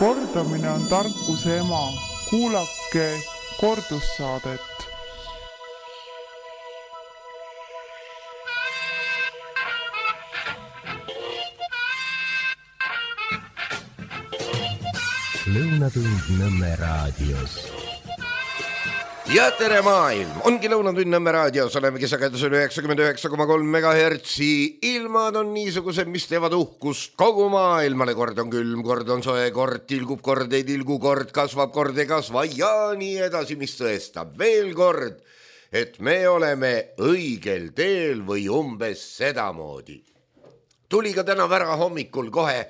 Kordamine on tarkuse ema. Kuulake kordussaadet. Lõunatund Nõmme raadios. Ja tere maailm! Ongi Lõunatund Nõmme raadios, olemegi sagedusel 99,3 MHz. Ilmad on niisugused, mis teevad uhkust kogu maailmale. Kord on külm, kord on soe, kord tilgub, kord ei tilgu, kord kasvab, kord ei kasva ja nii edasi, mis tõestab veel kord, et me oleme õigel teel või umbes sedamoodi. Tuli ka täna vära hommikul kohe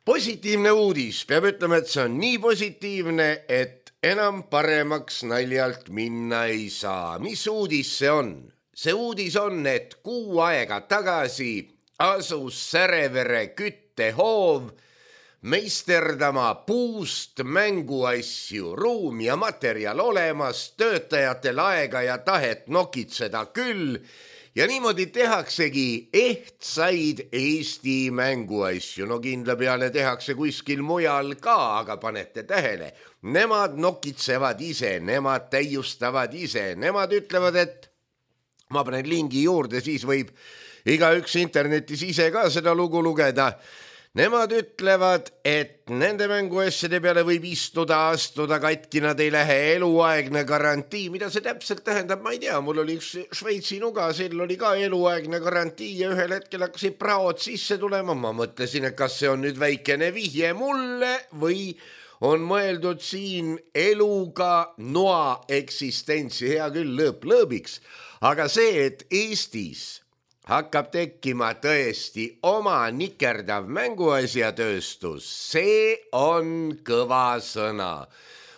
positiivne uudis. Peab ütlema, et see on nii positiivne, et enam paremaks naljalt minna ei saa. Mis uudis see on? See uudis on, et kuu aega tagasi asus Särevere küttehoov meisterdama puust mänguasju, ruum ja materjal olemas, töötajatel aega ja tahet nokitseda küll. Ja niimoodi tehaksegi ehtsaid Eesti mänguasju. No kindla peale tehakse kuskil mujal ka, aga panete tähele. Nemad nokitsevad ise, nemad täiustavad ise. Nemad ütlevad, et ma panen lingi juurde, siis võib igaüks internetis ise ka seda lugu lugeda. Nemad ütlevad, et nende mänguasjade peale võib astuda katki, nad ei lähe eluaegne garantii. Mida see täpselt tähendab, ma ei tea. Mul oli üks Šveitsi nuga, seal oli ka eluaegne garantii ja ühel hetkel hakkasid praod sisse tulema. Ma mõtlesin, et kas see on nüüd väikene vihje mulle või on mõeldud siin eluga noa eksistentsi. Hea küll, lõõp lõõbiks. Aga see, et Eestis hakkab tekkima tõesti oma nikerdav mänguasjatööstus, see on kõva sõna.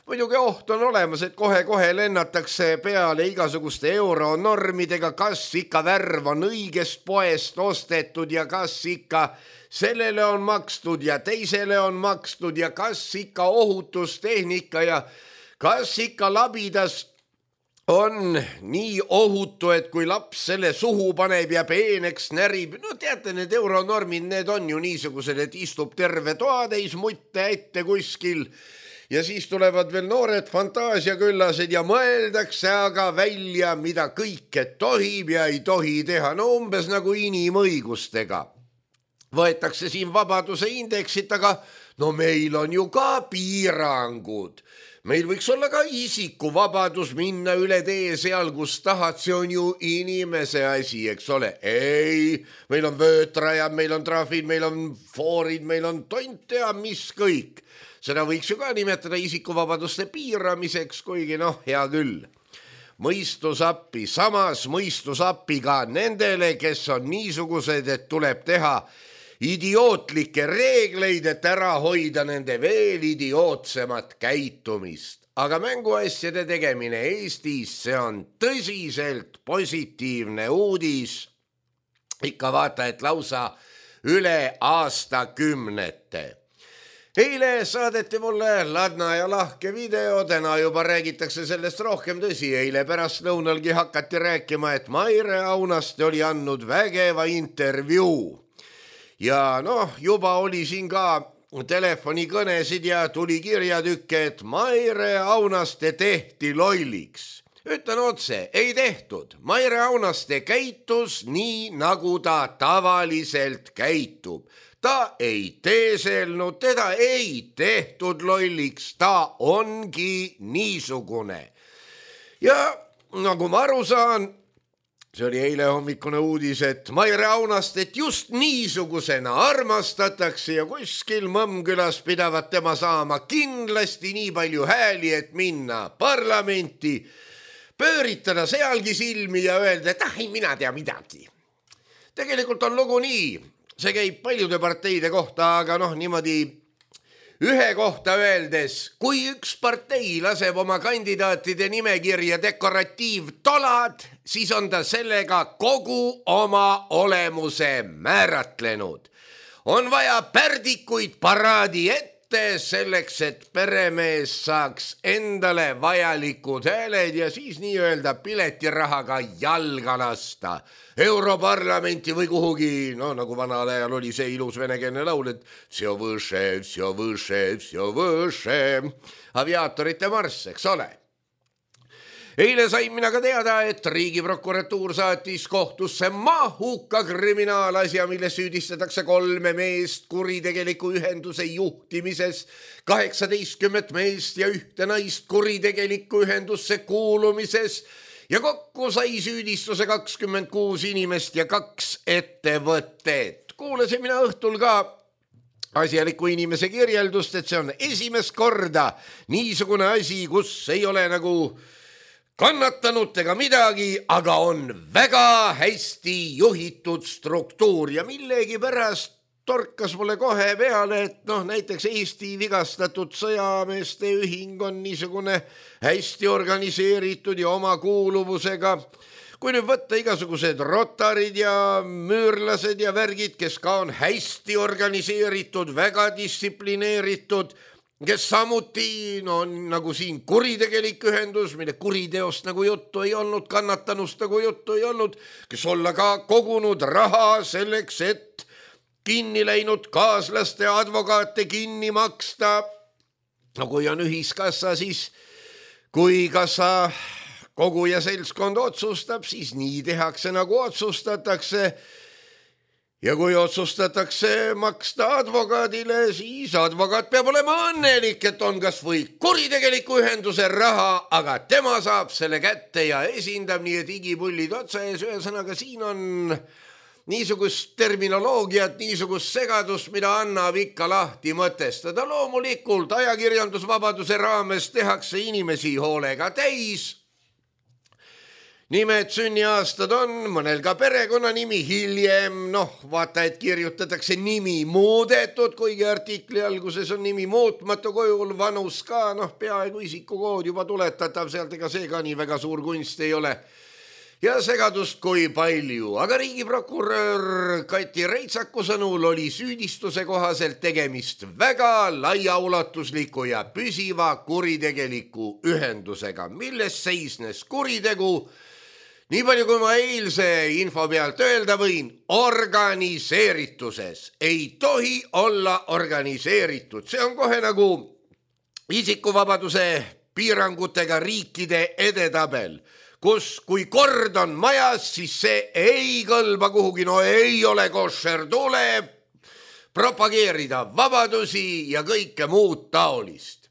Muidugi oht on olemas, et kohe-kohe lennatakse peale igasuguste euronormidega, kas ikka värv on õigest poest ostetud ja kas ikka sellele on makstud ja teisele on makstud ja kas ikka ohutustehnika ja kas ikka labidas on nii ohutu, et kui laps selle suhu paneb ja peeneks närib. No teate, need euronormid, need on ju niisugused, et istub terve toatäis mutte ette kuskil ja siis tulevad veel noored fantaasiaküllased ja mõeldakse aga välja, mida kõike tohib ja ei tohi teha. No umbes nagu inimõigustega. Võetakse siin vabaduse indeksit, aga no meil on ju ka piirangud. Meil võiks olla ka isikuvabadus minna üle tee seal, kus tahad, see on ju inimese asi, eks ole. Ei, meil on vöötrajad, meil on trahvid, meil on foorid, meil on tont ja mis kõik. Seda võiks ju ka nimetada isikuvabaduste piiramiseks, kuigi noh, hea küll. Mõistusappi, samas mõistusappi ka nendele, kes on niisugused, et tuleb teha idiootlikke reegleid, et ära hoida nende veel idiootsemat käitumist. Aga mänguasjade tegemine Eestis, see on tõsiselt positiivne uudis. Ikka vaata, et lausa üle aastakümnete. Eile saadeti mulle ladna ja lahke video, täna juba räägitakse sellest rohkem. Tõsi, eile pärast lõunalgi hakati rääkima, et Maire Aunaste oli andnud vägeva intervjuu. Ja noh, juba oli siin ka telefonikõnesid ja tuli kirjatükke, et Maire Aunaste tehti lolliks. Ütlen otse, ei tehtud. Maire Aunaste käitus nii, nagu ta tavaliselt käitub. Ta ei teeselnud, teda ei tehtud lolliks, ta ongi niisugune. Ja nagu ma aru saan, see oli eile hommikune uudis, et Maire Aunastet just niisugusena armastatakse ja kuskil Mõmmkülas pidavat tema saama kindlasti nii palju hääli, et minna parlamenti, pööritada sealgi silmi ja öelda, et ei mina tea midagi. Tegelikult on lugu nii, see käib paljude parteide kohta, aga noh, niimoodi ühe kohta öeldes, kui üks partei laseb oma kandidaatide nimekirja dekoratiivtolad, siis on ta sellega kogu oma olemuse määratlenud. On vaja pärdikuid paraadi ette kätte selleks, et peremees saaks endale vajalikud hääled ja siis nii-öelda piletirahaga jalga lasta Europarlamenti või kuhugi, no nagu vanal ajal oli see ilus venekeelne laul, et всё выше, aviaatorite marss, eks ole. Eile sain mina ka teada, et riigiprokuratuur saatis kohtusse mahuka kriminaalasja, milles süüdistatakse 3 meest kuritegeliku ühenduse juhtimises, 18 meest ja 1 naist kuritegeliku ühendusse kuulumises ja kokku sai süüdistuse 26 inimest ja 2 ettevõtted. Kuulasin mina õhtul ka asjaliku inimese kirjeldust, et see on esimest korda niisugune asi, kus ei ole nagu kannatanud ega midagi, aga on väga hästi juhitud struktuur ja millegi pärast torkas mulle kohe peale, et näiteks Eesti vigastatud sõjameeste ühing on niisugune hästi organiseeritud ja oma kuuluvusega. Kui nüüd võtta igasugused rotarid ja müürlased ja värgid, kes ka on hästi organiseeritud, väga distsiplineeritud, kes samuti on nagu siin kuritegelik ühendus, mille kuriteost nagu juttu ei olnud, kannatanust nagu juttu ei olnud, kes olla ka kogunud raha selleks, et kinni läinud kaaslaste advokaate kinni maksta. No kui on ühiskassa, siis kui kassa koguja seltskond otsustab, siis nii tehakse nagu otsustatakse. Ja kui otsustatakse maksta advokaadile, siis advokaat peab olema õnnelik, et on kas või kuritegeliku ühenduse raha, aga tema saab selle kätte ja esindab nii, et igipullid otsa ees. Ühesõnaga siin on niisugust terminoloogiat, niisugust segadust, mida annab ikka lahti mõtestada. Loomulikult ajakirjandusvabaduse raames tehakse inimesi hoolega täis. Nimed, sünniaastad on, mõnel ka perekonnanimi hiljem, vaata, et kirjutatakse nimi muudetud, kuigi artikli alguses on nimi muutmatu kujul, vanus ka, peaaegu isikukood juba tuletatav, sealt ega see ka nii väga suur kunst ei ole. Ja segadust kui palju, aga riigiprokurör Kati Reitsaku sõnul oli süüdistuse kohaselt tegemist väga laiaulatusliku ja püsiva kuritegeliku ühendusega, milles seisnes kuritegu. Nii palju kui ma eilse info pealt öelda võin, organiseerituses ei tohi olla organiseeritud. See on kohe nagu isikuvabaduse piirangutega riikide edetabel, kus kui kord on majas, siis see ei kõlba kuhugi, ei ole koššer, tuleb propageerida vabadusi ja kõike muud taolist.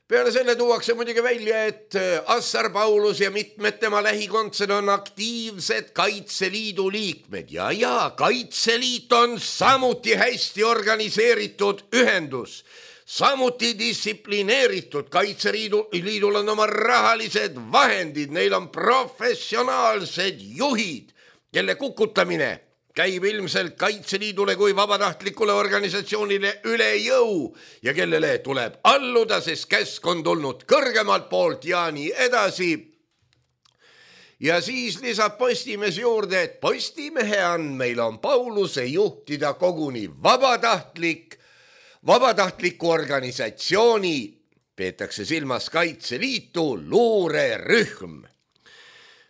Peale selle tuuakse muidugi välja, et Assar Paulus ja mitmed tema lähikondsed on aktiivsed Kaitseliidu liikmed ja Kaitseliit on samuti hästi organiseeritud ühendus, samuti distsiplineeritud. Kaitseliidul on oma rahalised vahendid, neil on professionaalsed juhid, kelle kukutamine käib ilmselt Kaitseliidule kui vabatahtlikule organisatsioonile üle jõu ja kellele tuleb alluda, sest käsk on tulnud kõrgemalt poolt ja nii edasi. Ja siis lisab Postimees juurde, et Postimehe andmeil on Pauluse juhtida koguni vabatahtliku organisatsiooni, peetakse silmas Kaitseliitu, luurerühm,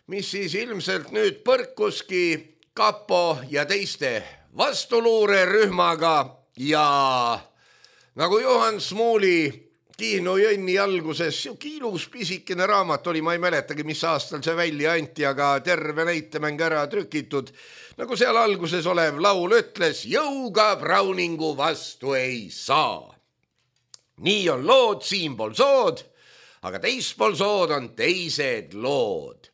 mis siis ilmselt nüüd põrkuski Kapo ja teiste vastuluurerühmaga ja nagu Johan Smuuli Kihnu Jõnni alguses, siuke ilus pisikene raamat oli, ma ei mäletagi, mis aastal see välja anti, aga terve näitemäng ära trükitud. Nagu seal alguses olev laul ütles, jõuga Browningu vastu ei saa. Nii on lood siinpool sood, aga teispool sood on teised lood.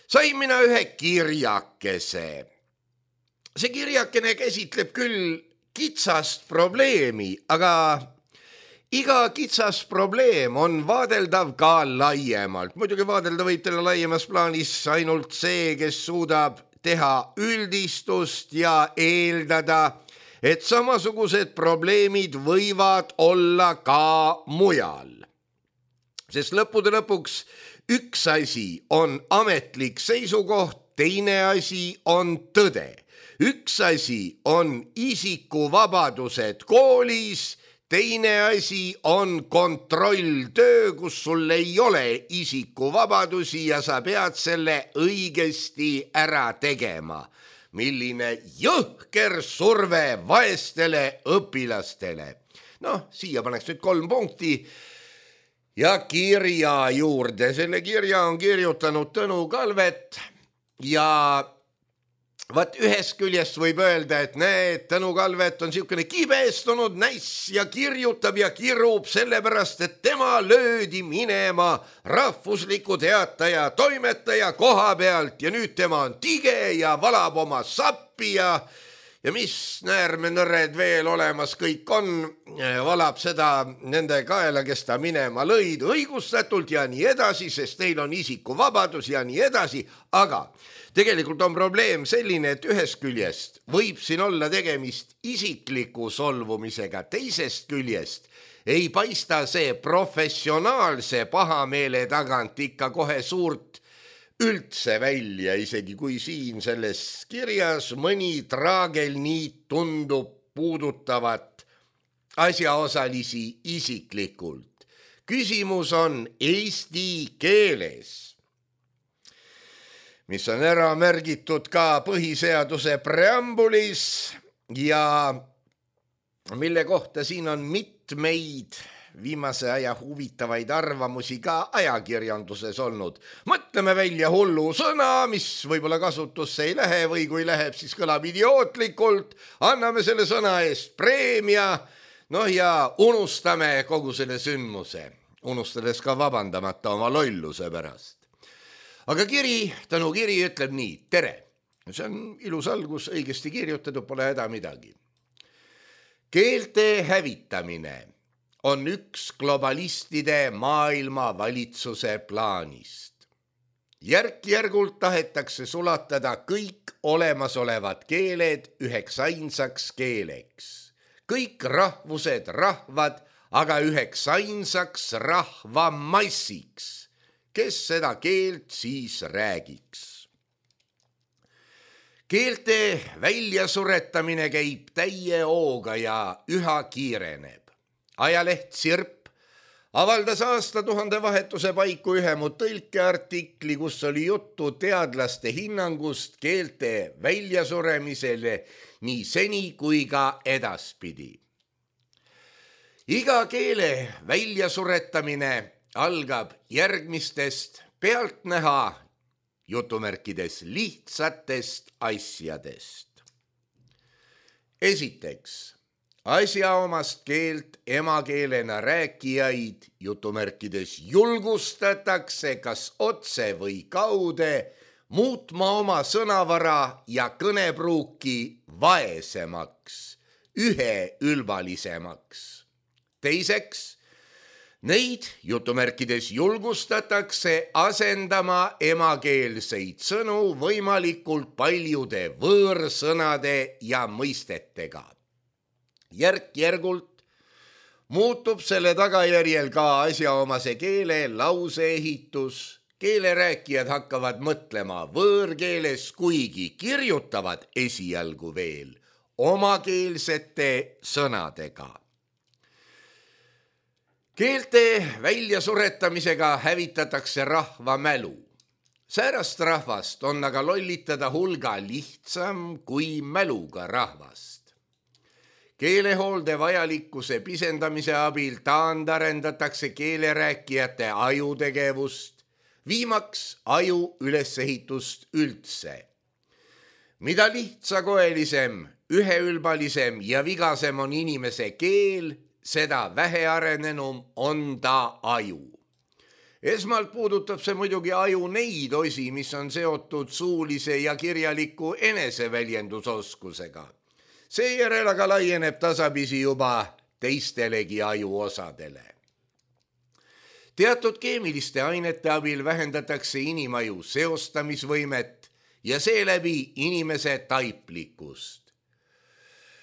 Sain mina ühe kirjakese. See kirjakene käsitleb küll kitsast probleemi, aga iga kitsas probleem on vaadeldav ka laiemalt. Muidugi vaadelda võib teile laiemas plaanis ainult see, kes suudab teha üldistust ja eeldada, et samasugused probleemid võivad olla ka mujal. Sest lõppude lõpuks üks asi on ametlik seisukoht, teine asi on tõde. Üks asi on isikuvabadused koolis, teine asi on kontrolltöö, kus sul ei ole isikuvabadusi ja sa pead selle õigesti ära tegema. Milline jõhker surve vaestele õpilastele. Noh, siia paneks nüüd 3 punkti ja kirja juurde. Selle kirja on kirjutanud Tõnu Kalvet ja vaat ühest küljest võib öelda, et näed, Tõnu Kalvet on siukene kibestunud näiss ja kirjutab ja kirub sellepärast, et tema löödi minema rahvusliku teataja toimetaja koha pealt ja nüüd tema on tige ja valab oma sappi ja mis näärmenõred veel olemas kõik on, valab seda nende kaela, kes ta minema lõid õigustatult ja nii edasi, sest neil on isikuvabadus ja nii edasi, aga tegelikult on probleem selline, et ühest küljest võib siin olla tegemist isikliku solvumisega, teisest küljest ei paista see professionaalse pahameele tagant ikka kohe suurt üldse välja, isegi kui siin selles kirjas mõni traagelniit tundub puudutavat asjaosalisi isiklikult. Küsimus on eesti keeles, mis on ära märgitud ka põhiseaduse preambulis ja mille kohta siin on mitmeid viimase aja huvitavaid arvamusi ka ajakirjanduses olnud. Mõtleme välja hullu sõna, mis võib-olla kasutusse ei lähe või kui läheb, siis kõlab idiootlikult. Anname selle sõna eest preemia, ja unustame kogu selle sündmuse, unustades ka vabandamata oma lolluse pärast. Aga Tõnu kiri ütleb nii, tere. See on ilus algus, õigesti kirjutatud, pole häda midagi. Keelte hävitamine on üks globalistide maailma valitsuse plaanist. Järk-järgult tahetakse sulatada kõik olemasolevad keeled üheks ainsaks keeleks. Kõik rahvused, rahvad, aga üheks ainsaks rahvamassiks. Kes seda keelt siis räägiks? Keelte väljasuretamine käib täie hooga ja üha kiireneb. Ajaleht Sirp avaldas aastatuhande vahetuse paiku ühe mu tõlkeartikli, kus oli juttu teadlaste hinnangust keelte väljasuremisele nii seni kui ka edaspidi. Iga keele väljasuretamine algab järgmistest pealtnäha jutumärkides lihtsatest asjadest. Esiteks, asjaomast keelt emakeelena rääkijaid jutumärkides julgustatakse kas otse või kaude muutma oma sõnavara ja kõnepruuki vaesemaks, üheülbalisemaks. Teiseks, neid jutumärkides julgustatakse asendama emakeelseid sõnu võimalikult paljude võõrsõnade ja mõistetega. Järk-järgult muutub selle tagajärjel ka asjaomase keele lauseehitus. Keelerääkijad hakkavad mõtlema võõrkeeles, kuigi kirjutavad esialgu veel omakeelsete sõnadega. Keelte väljasuretamisega hävitatakse rahva mälu. Säärast rahvast on aga lollitada hulga lihtsam kui mäluga rahvast. Keelehoolde vajalikkuse pisendamise abil taandarendatakse keelerääkijate ajutegevust, viimaks aju ülesehitust üldse. Mida lihtsakoelisem, üheülbalisem ja vigasem on inimese keel, seda vähearenenum on ta aju. Esmalt puudutab see muidugi aju neid osi, mis on seotud suulise ja kirjaliku eneseväljendusoskusega. Seejärel aga laieneb tasapisi juba teistelegi ajuosadele. Teatud keemiliste ainete abil vähendatakse inimaju seostamisvõimet ja seeläbi inimese taiplikkust.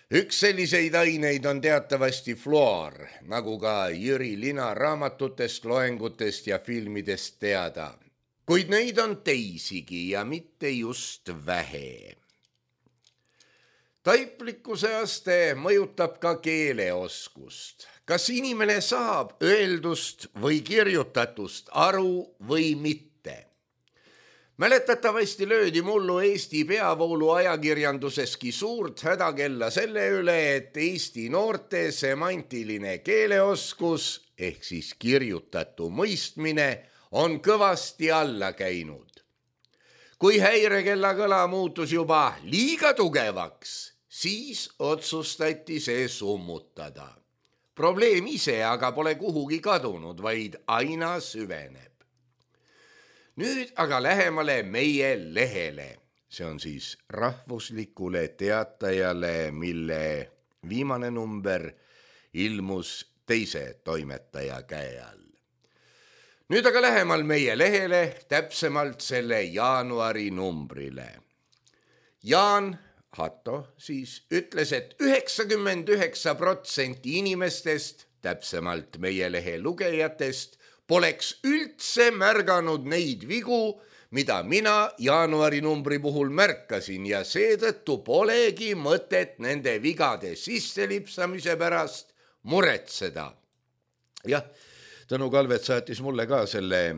Üks selliseid aineid on teatavasti fluor, nagu ka Jüri Lina raamatutest, loengutest ja filmidest teada. Kuid neid on teisigi ja mitte just vähe. Taiplikkuse aste mõjutab ka keeleoskust. kas inimene saab öeldust või kirjutatust aru või mitte. Mäletatavasti löödi mullu Eesti peavoolu ajakirjanduseski suurt hädakella selle üle, et Eesti noorte semantiline keeleoskus ehk siis kirjutatu mõistmine on kõvasti alla käinud. Kui häirekella kõla muutus juba liiga tugevaks, siis otsustati see summutada. Probleem ise aga pole kuhugi kadunud, vaid aina süveneb. Nüüd aga lähemale meie lehele. See on siis Rahvuslikule Teatajale, mille viimane number ilmus teise toimetaja käe all. Nüüd aga lähemal meie lehele, täpsemalt selle jaanuari numbrile. Jaan Hatto siis ütles, et 99% inimestest, täpsemalt meie lehe lugejatest, poleks üldse märganud neid vigu, mida mina jaanuari numbri puhul märkasin ja seetõttu polegi mõtet nende vigade sisselipsamise pärast muretseda. Jah, Tõnu Kalvet saatis mulle ka selle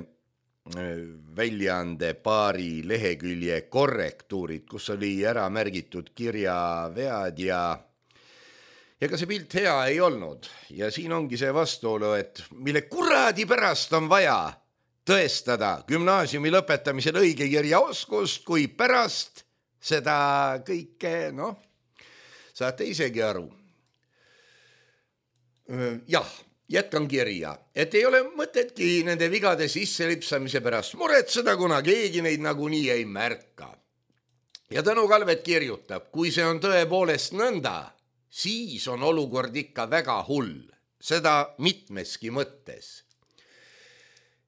väljaande paari lehekülje korrektuurid, kus oli ära märgitud kirjavead ja ka see pilt hea ei olnud. Ja siin ongi see vastuolu, et mille kuradi pärast on vaja tõestada gümnaasiumi lõpetamisel õige kirjaoskust, kui pärast seda kõike, saate isegi aru. Jah, jätkan kirja, et ei ole mõtetki nende vigade sisselipsamise pärast muretseda, kuna keegi neid nagunii ei märka. Ja Tõnu Kalvet kirjutab, kui see on tõepoolest nõnda, siis on olukord ikka väga hull, seda mitmeski mõttes.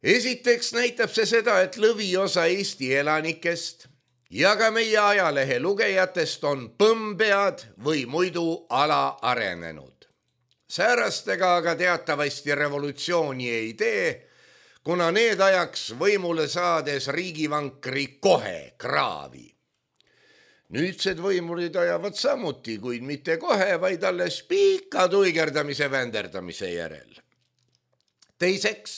Esiteks näitab see seda, et lõviosa Eesti elanikest ja ka meie ajalehe lugejatest on põmbead või muidu alaarenenud. Säärastega aga teatavasti revolutsiooni ei tee, kuna need ajaks võimule saades riigivankri kohe kraavi. Nüüdsed võimurid ajavad samuti, kuid mitte kohe, vaid alles pika tuigerdamise vänderdamise järel. Teiseks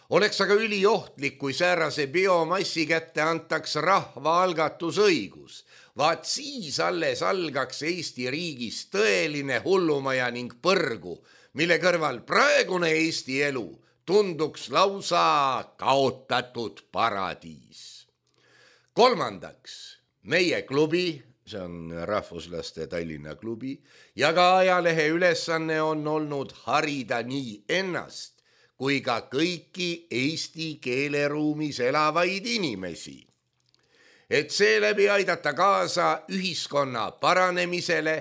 oleks aga üliohtlik, kui säärase biomassi kätte antaks rahvaalgatusõigus. Vaat siis alles algaks Eesti riigis tõeline hullumaja ning põrgu, mille kõrval praegune Eesti elu tunduks lausa kaotatud paradiis. Kolmandaks, meie klubi, see on rahvuslaste Tallinna klubi, ja ka ajalehe ülesanne on olnud harida nii ennast kui ka kõiki Eesti keeleruumis elavaid inimesi, et seeläbi aidata kaasa ühiskonna paranemisele,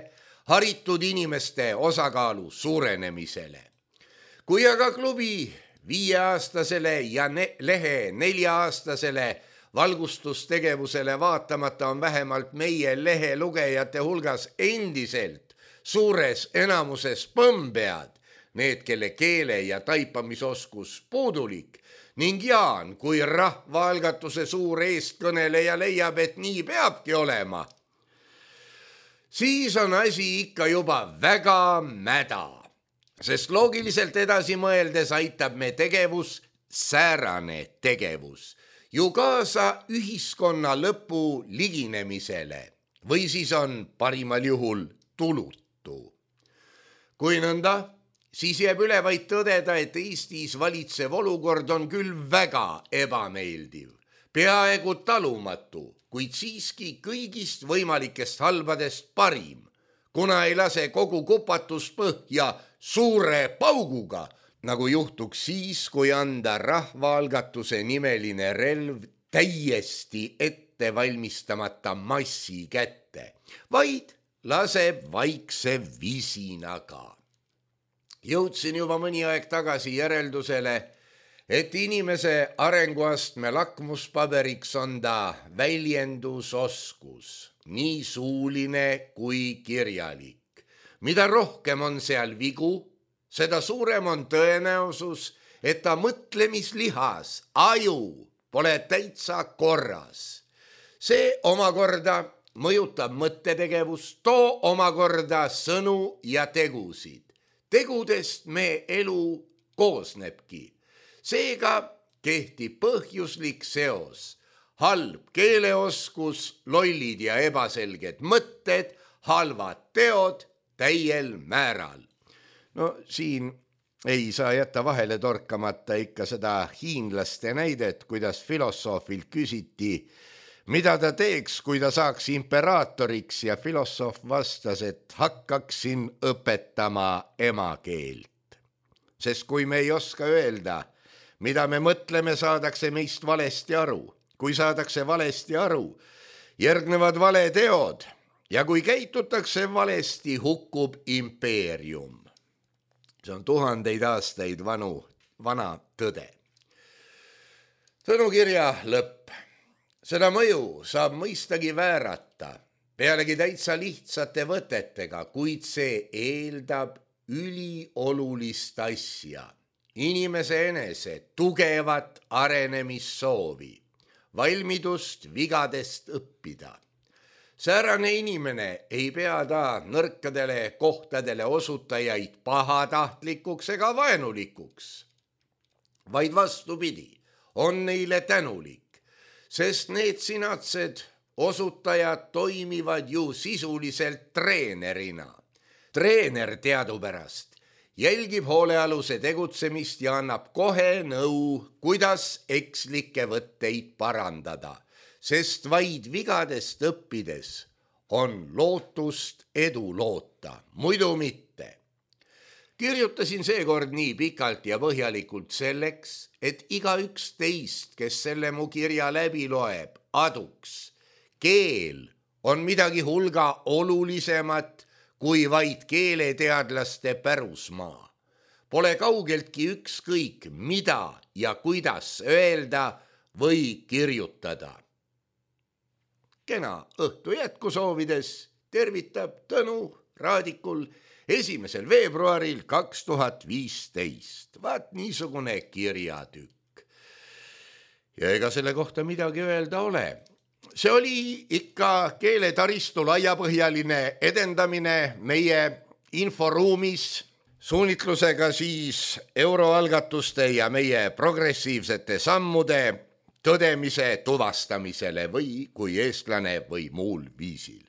haritud inimeste osakaalu suurenemisele. Kui aga klubi 5-aastasele ja lehe 4-aastasele valgustustegevusele vaatamata on vähemalt meie lehe lugejate hulgas endiselt suures enamuses põmbead, need, kelle keele ja taipamisoskus puudulik, ning Jaan kui rahvaalgatuse suur eestkõneleja leiab, et nii peabki olema, siis on asi ikka juba väga mäda, sest loogiliselt edasi mõeldes aitab me tegevus, säärane tegevus, ju kaasa ühiskonna lõpu liginemisele või siis on parimal juhul tulutu. Kui nõnda, siis jääb üle vaid tõdeda, et Eestis valitsev olukord on küll väga ebameeldiv, peaaegu talumatu, kuid siiski kõigist võimalikest halbadest parim, kuna ei lase kogu kupatus põhja suure pauguga, nagu juhtuks siis, kui anda rahvaalgatuse nimeline relv täiesti ette valmistamata massi kätte, vaid laseb vaikse visinaga. Jõudsin juba mõni aeg tagasi järeldusele, et inimese arenguastme lakmuspaberiks on ta väljendusoskus, nii suuline kui kirjalik. Mida rohkem on seal vigu, seda suurem on tõenäosus, et ta mõtlemislihas, aju pole täitsa korras. See omakorda mõjutab mõttetegevust, too omakorda sõnu ja tegusid. tegudest me elu koosnebki. Seega kehtib põhjuslik seos. Halb keeleoskus, lollid ja ebaselged mõtted, halvad teod täiel määral. No siin ei saa jätta vahele torkamata ikka seda hiinlaste näidet, kuidas filosoofilt küsiti, mida ta teeks, kui ta saaks imperaatoriks, ja filosoof vastas, et hakkaksin õpetama emakeelt. Sest kui me ei oska öelda, mida me mõtleme, saadakse meist valesti aru. Kui saadakse valesti aru, järgnevad valeteod ja kui käitutakse valesti, hukkub impeerium. See on 1000 aastaid vana tõde. Tõnukirja lõpp. Seda mõju saab mõistagi väärata, pealegi täitsa lihtsate võtetega, kuid see eeldab üliolulist asja. Inimese enese tugevat arenemissoovi, valmidust vigadest õppida. Säärane inimene ei pea ta nõrkadele kohtadele osutajaid pahatahtlikuks ega vaenulikuks, vaid vastupidi, on neile tänulik, sest need sinatsed osutajad toimivad ju sisuliselt treenerina. Treener teadupärast jälgib hoolealuse tegutsemist ja annab kohe nõu, kuidas ekslikke võtteid parandada, sest vaid vigadest õppides on lootust edu loota, muidu mitte. Kirjutasin seekord nii pikalt ja põhjalikult selleks, et igaüks teist, kes selle mu kirja läbi loeb, aduks. Keel on midagi hulga olulisemat kui vaid keeleteadlaste pärusmaa. Pole kaugeltki ükskõik, mida ja kuidas öelda või kirjutada. Kena õhtu jätku soovides tervitab Tõnu Raadikul 1. veebruaril 2015. Vaat niisugune kirjatükk. Ja ega selle kohta midagi öelda ole. See oli ikka keeletaristu laiapõhjaline edendamine meie inforuumis, suunitlusega siis euroalgatuste ja meie progressiivsete sammude tõdemise tuvastamisele või kui eestlane või muul viisil.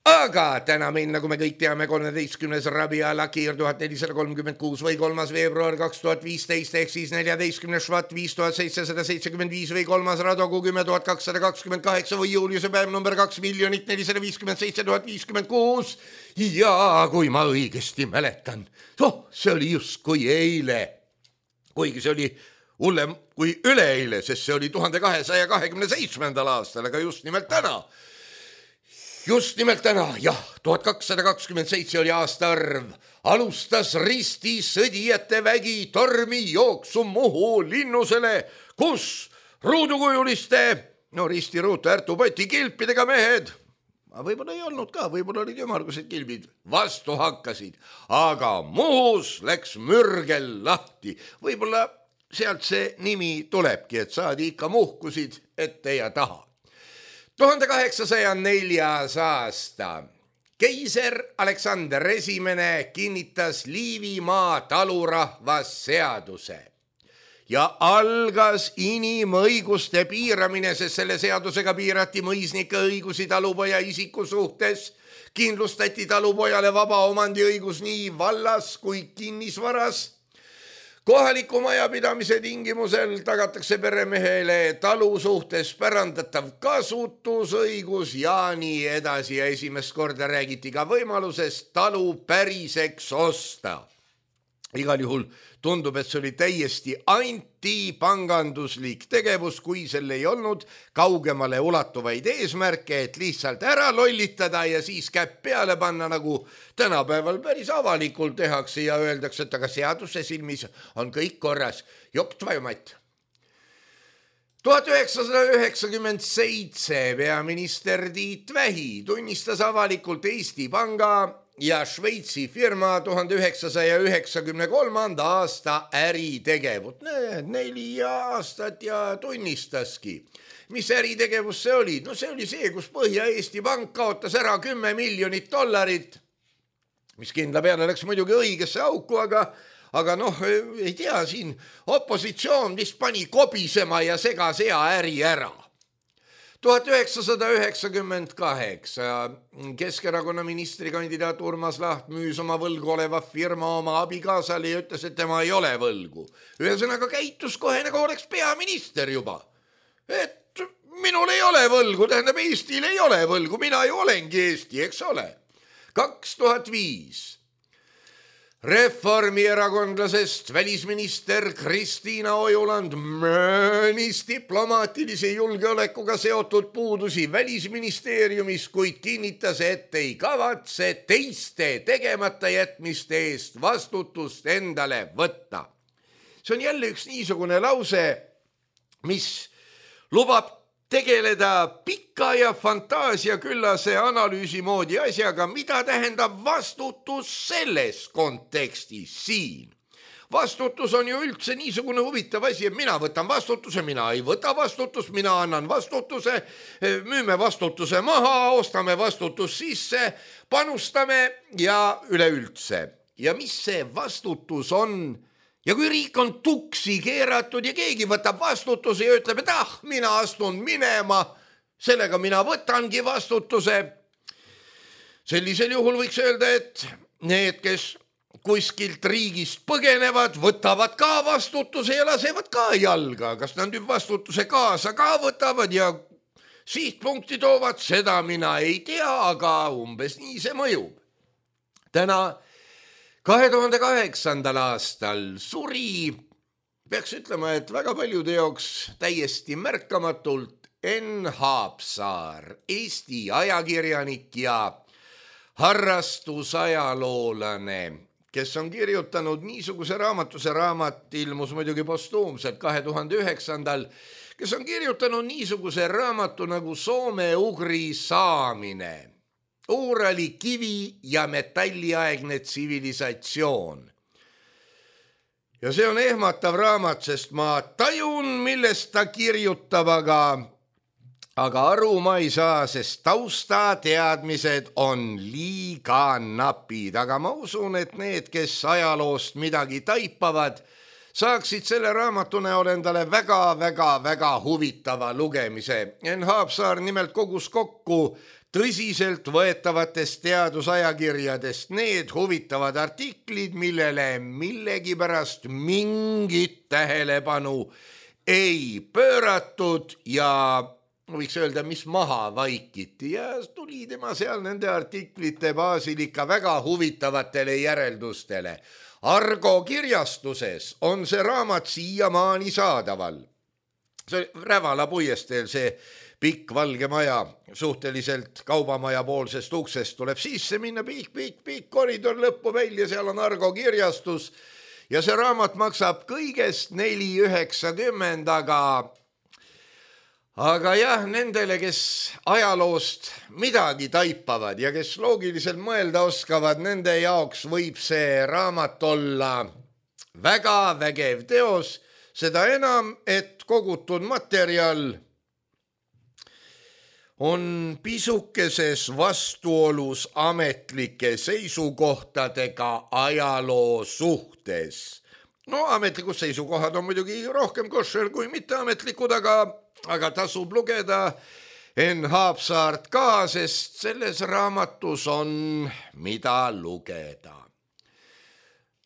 Aga täna meil, nagu me kõik teame, 13. Rabia Lakir 1436 või 3. veebruar 2015 ehk siis 14. Švat 5775 või 3. Radogu 10228 või Juliuse päev number 2 457 056. Ja kui ma õigesti mäletan, see oli justkui eile, kuigi see oli hullem kui üleeile, sest see oli 1227. aastal, aga just nimelt täna. Just nimelt täna, jah, 1227 oli aastaarv, alustas risti sõdijate vägi tormi jooksu Muhu linnusele, kus ruudukujuliste, ristiruutu ärtupoti kilpidega mehed, võib-olla ei olnud ka, võib-olla olid ümmargused kilbid, vastu hakkasid, aga Muhus läks mürgel lahti, võib-olla sealt see nimi tulebki, et saadi ikka muhkusid ette ja taha. 1804. aasta. Keiser Aleksander I kinnitas Liivimaa talurahvasseaduse ja algas inimõiguste piiramine, sest selle seadusega piirati mõisnike õigusi talupoja isiku suhtes, kindlustati talupojale vaba omandiõigus nii vallas kui kinnisvaras. Kohaliku majapidamise tingimusel tagatakse peremehele talu suhtes pärandatav kasutusõigus ja nii edasi ja esimest korda räägiti ka võimalusest talu päriseks osta. Igal juhul tundub, et see oli täiesti antipanganduslik tegevus, kui sel ei olnud kaugemale ulatuvaid eesmärke, et lihtsalt ära lollitada ja siis käpp peale panna, nagu tänapäeval päris avalikult tehakse ja öeldakse, et aga seaduse silmis on kõik korras. Jokt vajumat. 1997 peaminister Tiit Vähi tunnistas avalikult Eesti Panga ja Šveitsi firma 1993. aasta äritegevut. 4 aastat ja tunnistaski. Mis äritegevus see oli? See oli see, kus Põhja-Eesti Pank kaotas ära $10 miljonit mis kindla peale läks muidugi õigesse auku, aga noh, ei tea, siin opositsioon vist pani kobisema ja segas hea äri ära. 1998 Keskerakonna ministrikandidaat Urmas Laht müüs oma võlgu oleva firma oma abikaasale ja ütles, et tema ei ole võlgu. Ühesõnaga käitus kohe nagu oleks peaminister juba. Et minul ei ole võlgu, tähendab Eestil ei ole võlgu, mina ju olengi Eesti, eks ole. 2005 Reformierakondlasest välisminister Kristiina Ojuland möönis diplomaatilise julgeolekuga seotud puudusi välisministeeriumis, kuid kinnitas, et ei kavatse teiste tegemata jätmiste eest vastutust endale võtta. See on jälle üks niisugune lause, mis lubab tegeleda pika ja fantaasiaküllase analüüsi moodi asjaga, mida tähendab vastutus selles kontekstis siin. Vastutus on ju üldse niisugune huvitav asi, et mina võtan vastutuse, mina ei võta vastutust, mina annan vastutuse, müüme vastutuse maha, ostame vastutus sisse, panustame ja üleüldse. Ja mis see vastutus on? Ja kui riik on tuksi keeratud ja keegi võtab vastutuse ja ütleb, et mina astun minema, sellega mina võtangi vastutuse. Sellisel juhul võiks öelda, et need, kes kuskilt riigist põgenevad, võtavad ka vastutuse ja lasevad ka jalga. Kas nad nüüd vastutuse kaasa ka võtavad ja sihtpunkti toovad, seda mina ei tea, aga umbes nii see mõjub. Täna 2008. aastal suri, peaks ütlema, et väga paljude jaoks täiesti märkamatult Enn Haapsaar, Eesti ajakirjanik ja harrastusajaloolane, kes on kirjutanud niisuguse raamatu, see raamat ilmus muidugi postuumselt 2009. kes on kirjutanud niisuguse raamatu nagu Soome-Ugri saamine. Uurali kivi- ja metalliaegne tsivilisatsioon. Ja see on ehmatav raamat, sest ma tajun, millest ta kirjutab, aga aru ma ei saa, sest taustateadmised on liiga napid. Aga ma usun, et need, kes ajaloost midagi taipavad, saaksid selle raamatu näol endale väga huvitava lugemise. Enn Haapsaar nimelt kogus kokku tõsiselt võetavatest teadusajakirjadest need huvitavad artiklid, millele millegipärast mingit tähelepanu ei pööratud ja võiks öelda, mis maha vaikiti ja tuli tema seal nende artiklite baasil ikka väga huvitavatele järeldustele. Argo kirjastuses on see raamat siiamaani saadaval. See Rävala puiesteel see pikk valge maja, suhteliselt kaubamaja poolsest uksest tuleb sisse minna, pikk koridor lõppu välja, seal on Argo kirjastus ja see raamat maksab kõigest 4,90, aga jah, nendele, kes ajaloost midagi taipavad ja kes loogiliselt mõelda oskavad, nende jaoks võib see raamat olla väga vägev teos, seda enam, et kogutud materjal on pisukeses vastuolus ametlike seisukohtadega ajaloo suhtes. No ametlikud seisukohad on muidugi rohkem koššer kui mitteametlikud, aga tasub lugeda Enn Haapsaart ka, sest selles raamatus on mida lugeda.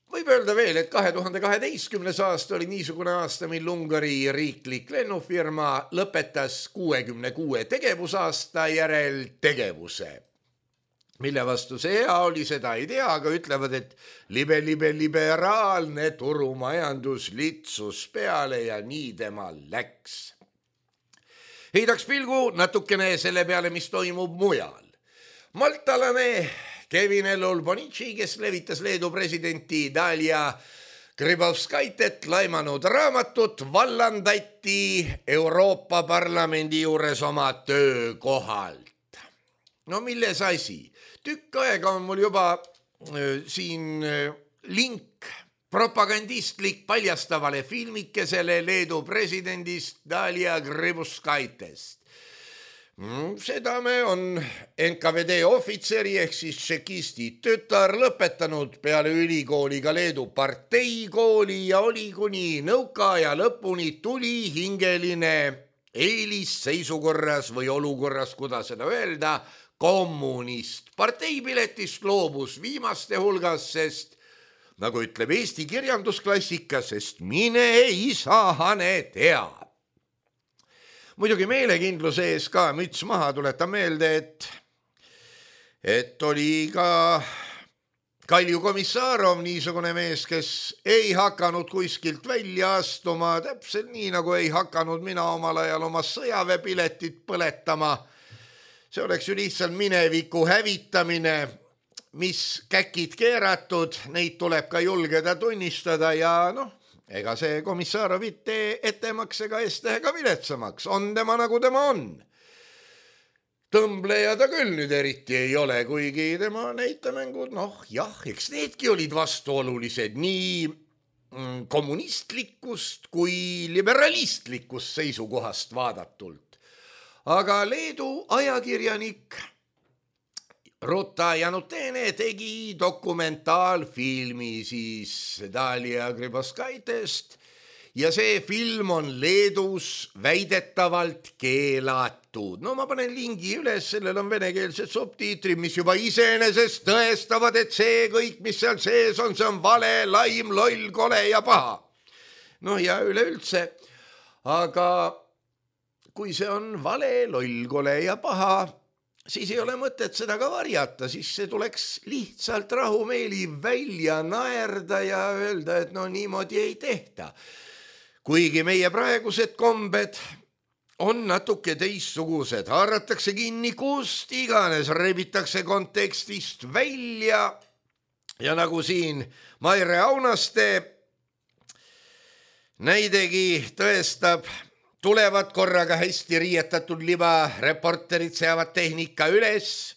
Võib öelda veel, et 2012. aasta oli niisugune aasta, mil Ungari riiklik lennufirma lõpetas 66 tegevusaasta järel tegevuse. Mille vastu see hea oli, seda ei tea, aga ütlevad, et liberaalne turumajandus litsus peale ja nii tema läks. Heidaks pilgu natukene selle peale, mis toimub mujal. Maltalane Kevin Elul-Bonici, kes levitas Leedu presidenti Dalia Grybauskaitet laimanud raamatut, vallandati Euroopa Parlamendi juures oma töökohalt. No milles asi? Tükk aega on mul juba siin link propagandistlik paljastavale filmikesele Leedu presidendist Dalia Grybauskaitest. Seda me on NKVD ohvitseri ehk siis tšekisti tütar lõpetanud peale ülikooliga Leedu parteikooli ja oli kuni nõukaaja lõpuni tuli hingeline eelisseisukorras või olukorras, kuidas seda öelda, kommunist. Parteipiletist loobus viimaste hulgas, sest nagu ütleb Eesti kirjandusklassika, sest mine isahane tea. Muidugi meelekindluse ees ka müts maha, tuletan meelde, et oli ka Kalju Komissarov niisugune mees, kes ei hakanud kuskilt välja astuma, täpselt nii nagu ei hakanud mina omal ajal oma sõjaväepiletit põletama. See oleks ju lihtsalt mineviku hävitamine, mis käkid keeratud, neid tuleb ka julgeda tunnistada ja ega see Komissarov ettemaksega eestega viletsamaks, on tema nagu tema on. Tõmbleja ta küll nüüd eriti ei ole, kuigi tema näitemängud, eks needki olid vastuolulised nii kommunistlikust kui liberalistlikust seisukohast vaadatult. Aga Leedu ajakirjanik Ruta Janutene tegi dokumentaalfilmi siis Dalia Grybauskaitest ja see film on Leedus väidetavalt keelatud. Ma panen lingi üles, sellel on venekeelsed subtiitrid, mis juba iseenesest tõestavad, et see kõik, mis seal sees on, see on vale, laim, loll, kole ja paha. Ja üleüldse, aga kui see on vale, loll, kole ja paha, siis ei ole mõtet seda ka varjata, siis see tuleks lihtsalt rahumeeli välja naerda ja öelda, et niimoodi ei tehta. Kuigi meie praegused kombed on natuke teistsugused, haaratakse kinni kust iganes, rebitakse kontekstist välja ja nagu siin Maire Aunaste näidegi tõestab, tulevad korraga hästi riietatud libareporterid, seavad tehnika üles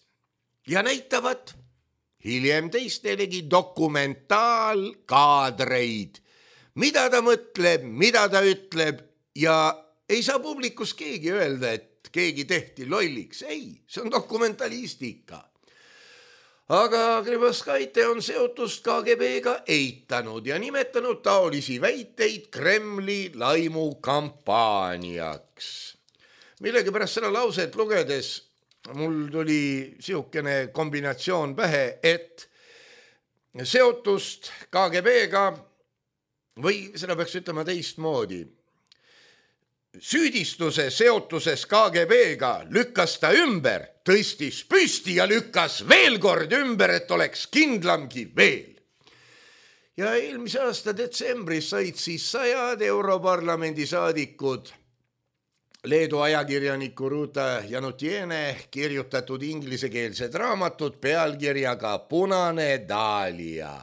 ja näitavad hiljem teistelegi dokumentaalkaadreid, mida ta mõtleb, mida ta ütleb ja ei saa publikus keegi öelda, et keegi tehti lolliks. Ei, see on dokumentalistika. Aga Grybauskaite on seotust KGB-ga eitanud ja nimetanud taolisi väiteid Kremli laimukampaaniaks. Millegipärast seda lauset lugedes mul tuli siukene kombinatsioon pähe, et seotust KGB-ga või seda peaks ütlema teistmoodi. Süüdistuse seotuses KGB-ga lükkas ta ümber, tõstis püsti ja lükkas veel kord ümber, et oleks kindlamgi veel. Ja eelmise aasta detsembris said siis 100 Europarlamendi saadikud Leedu ajakirjaniku Ruta Janutiene kirjutatud inglisekeelsed raamatud pealkirjaga Punane Dalia.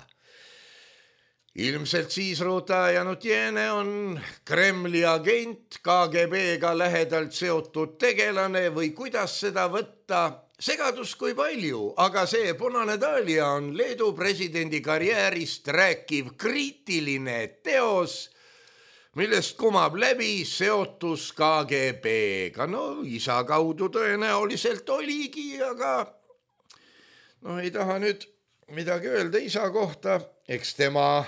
Ilmselt siis Ruta Janutiene on Kremli agent, KGB-ga lähedalt seotud tegelane või kuidas seda võtta, segadus kui palju, aga see Punane Dalia on Leedu presidendi karjäärist rääkiv kriitiline teos, millest kumab läbi seotus KGB-ga. Isa kaudu tõenäoliselt oligi, aga ei taha nüüd midagi öelda isa kohta, eks temal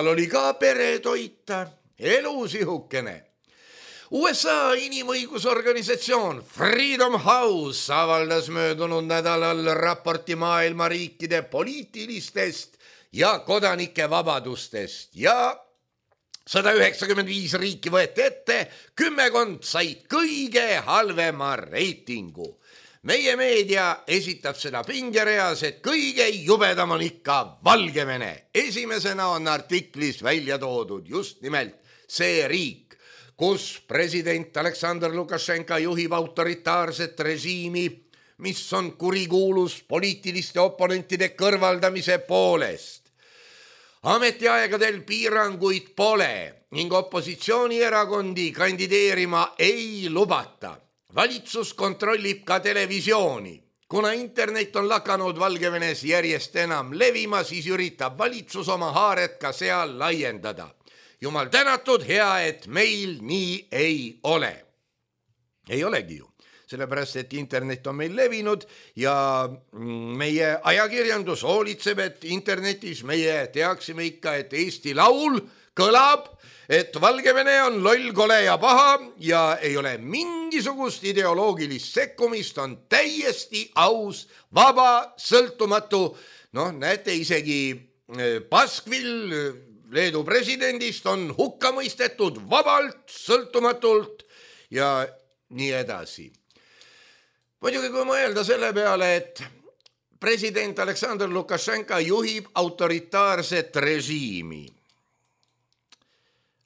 oli ka pere toita, elusihukene. USA inimõigusorganisatsioon Freedom House avaldas möödunud nädalal raporti maailma riikide poliitilistest ja kodanike vabadustest ja 195 riiki võeti ette, 10 said kõige halvema reitingu. Meie meedia esitab seda pingereas, et kõige jubedam on ikka Valgevene. Esimesena on artiklis välja toodud just nimelt see riik, kus president Aleksandr Lukašenka juhib autoritaarset režiimi, mis on kurikuulus poliitiliste oponentide kõrvaldamise poolest. Ametiaegadel piiranguid pole ning opositsioonierakondi kandideerima ei lubata. Valitsus kontrollib ka televisiooni. Kuna internet on lakanud Valgevenes järjest enam levima, siis üritab valitsus oma haaret ka seal laiendada. Jumal tänatud, hea, et meil nii ei ole. Ei olegi ju. sellepärast et internet on meil levinud ja meie ajakirjandus hoolitseb, et internetis meie teaksime ikka, et Eesti Laul kõlab, et Valgevene on loll, kole ja paha ja ei ole mingisugust ideoloogilist sekkumist, on täiesti aus, vaba, sõltumatu. Noh, näete, isegi Baskvil, Leedu presidendist, on hukka mõistetud vabalt, sõltumatult ja nii edasi. Muidugi, kui mõelda selle peale, et president Aleksandr Lukašenka juhib autoritaarset režiimi,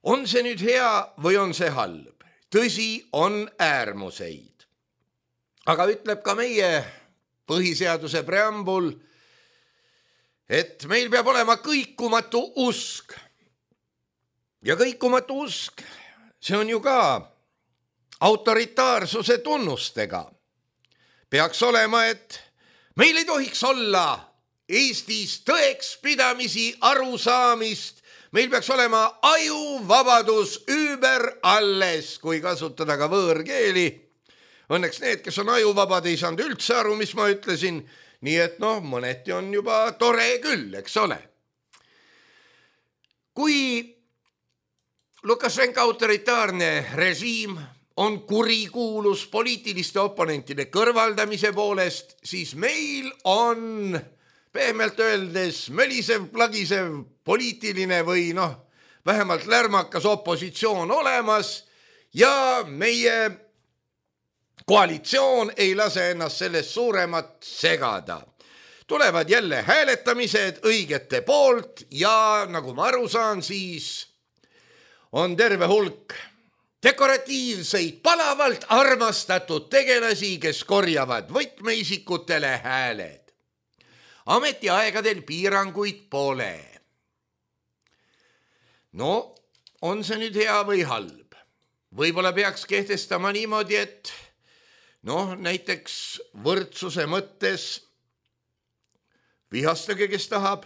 on see nüüd hea või on see halb? Tõsi, on äärmuseid. Aga ütleb ka meie põhiseaduse preambul, et meil peab olema kõikumatu usk. Ja kõikumatu usk, see on ju ka autoritaarsuse tunnustega. Peaks olema, et meil ei tohiks olla Eestis tõekspidamisi, arusaamist, meil peaks olema ajuvabadus über alles, kui kasutada ka võõrkeeli. Õnneks need, kes on ajuvabad, ei saanud üldse aru, mis ma ütlesin, nii et mõneti on juba tore küll, eks ole. Kui Lukašenka autoritaarne režiim on kurikuulus poliitiliste oponentide kõrvaldamise poolest, siis meil on pehmelt öeldes mölisev, plagisev poliitiline või vähemalt lärmakas opositsioon olemas ja meie koalitsioon ei lase ennast sellest suuremat segada. Tulevad jälle hääletamised õigete poolt ja nagu ma aru saan, siis on terve hulk dekoratiivseid, palavalt armastatud tegelasi, kes korjavad võtmeisikutele hääled. Ametiaegadel piiranguid pole. No, on see nüüd hea või halb? Võib-olla peaks kehtestama niimoodi, et näiteks võrdsuse mõttes vihastage, kes tahab,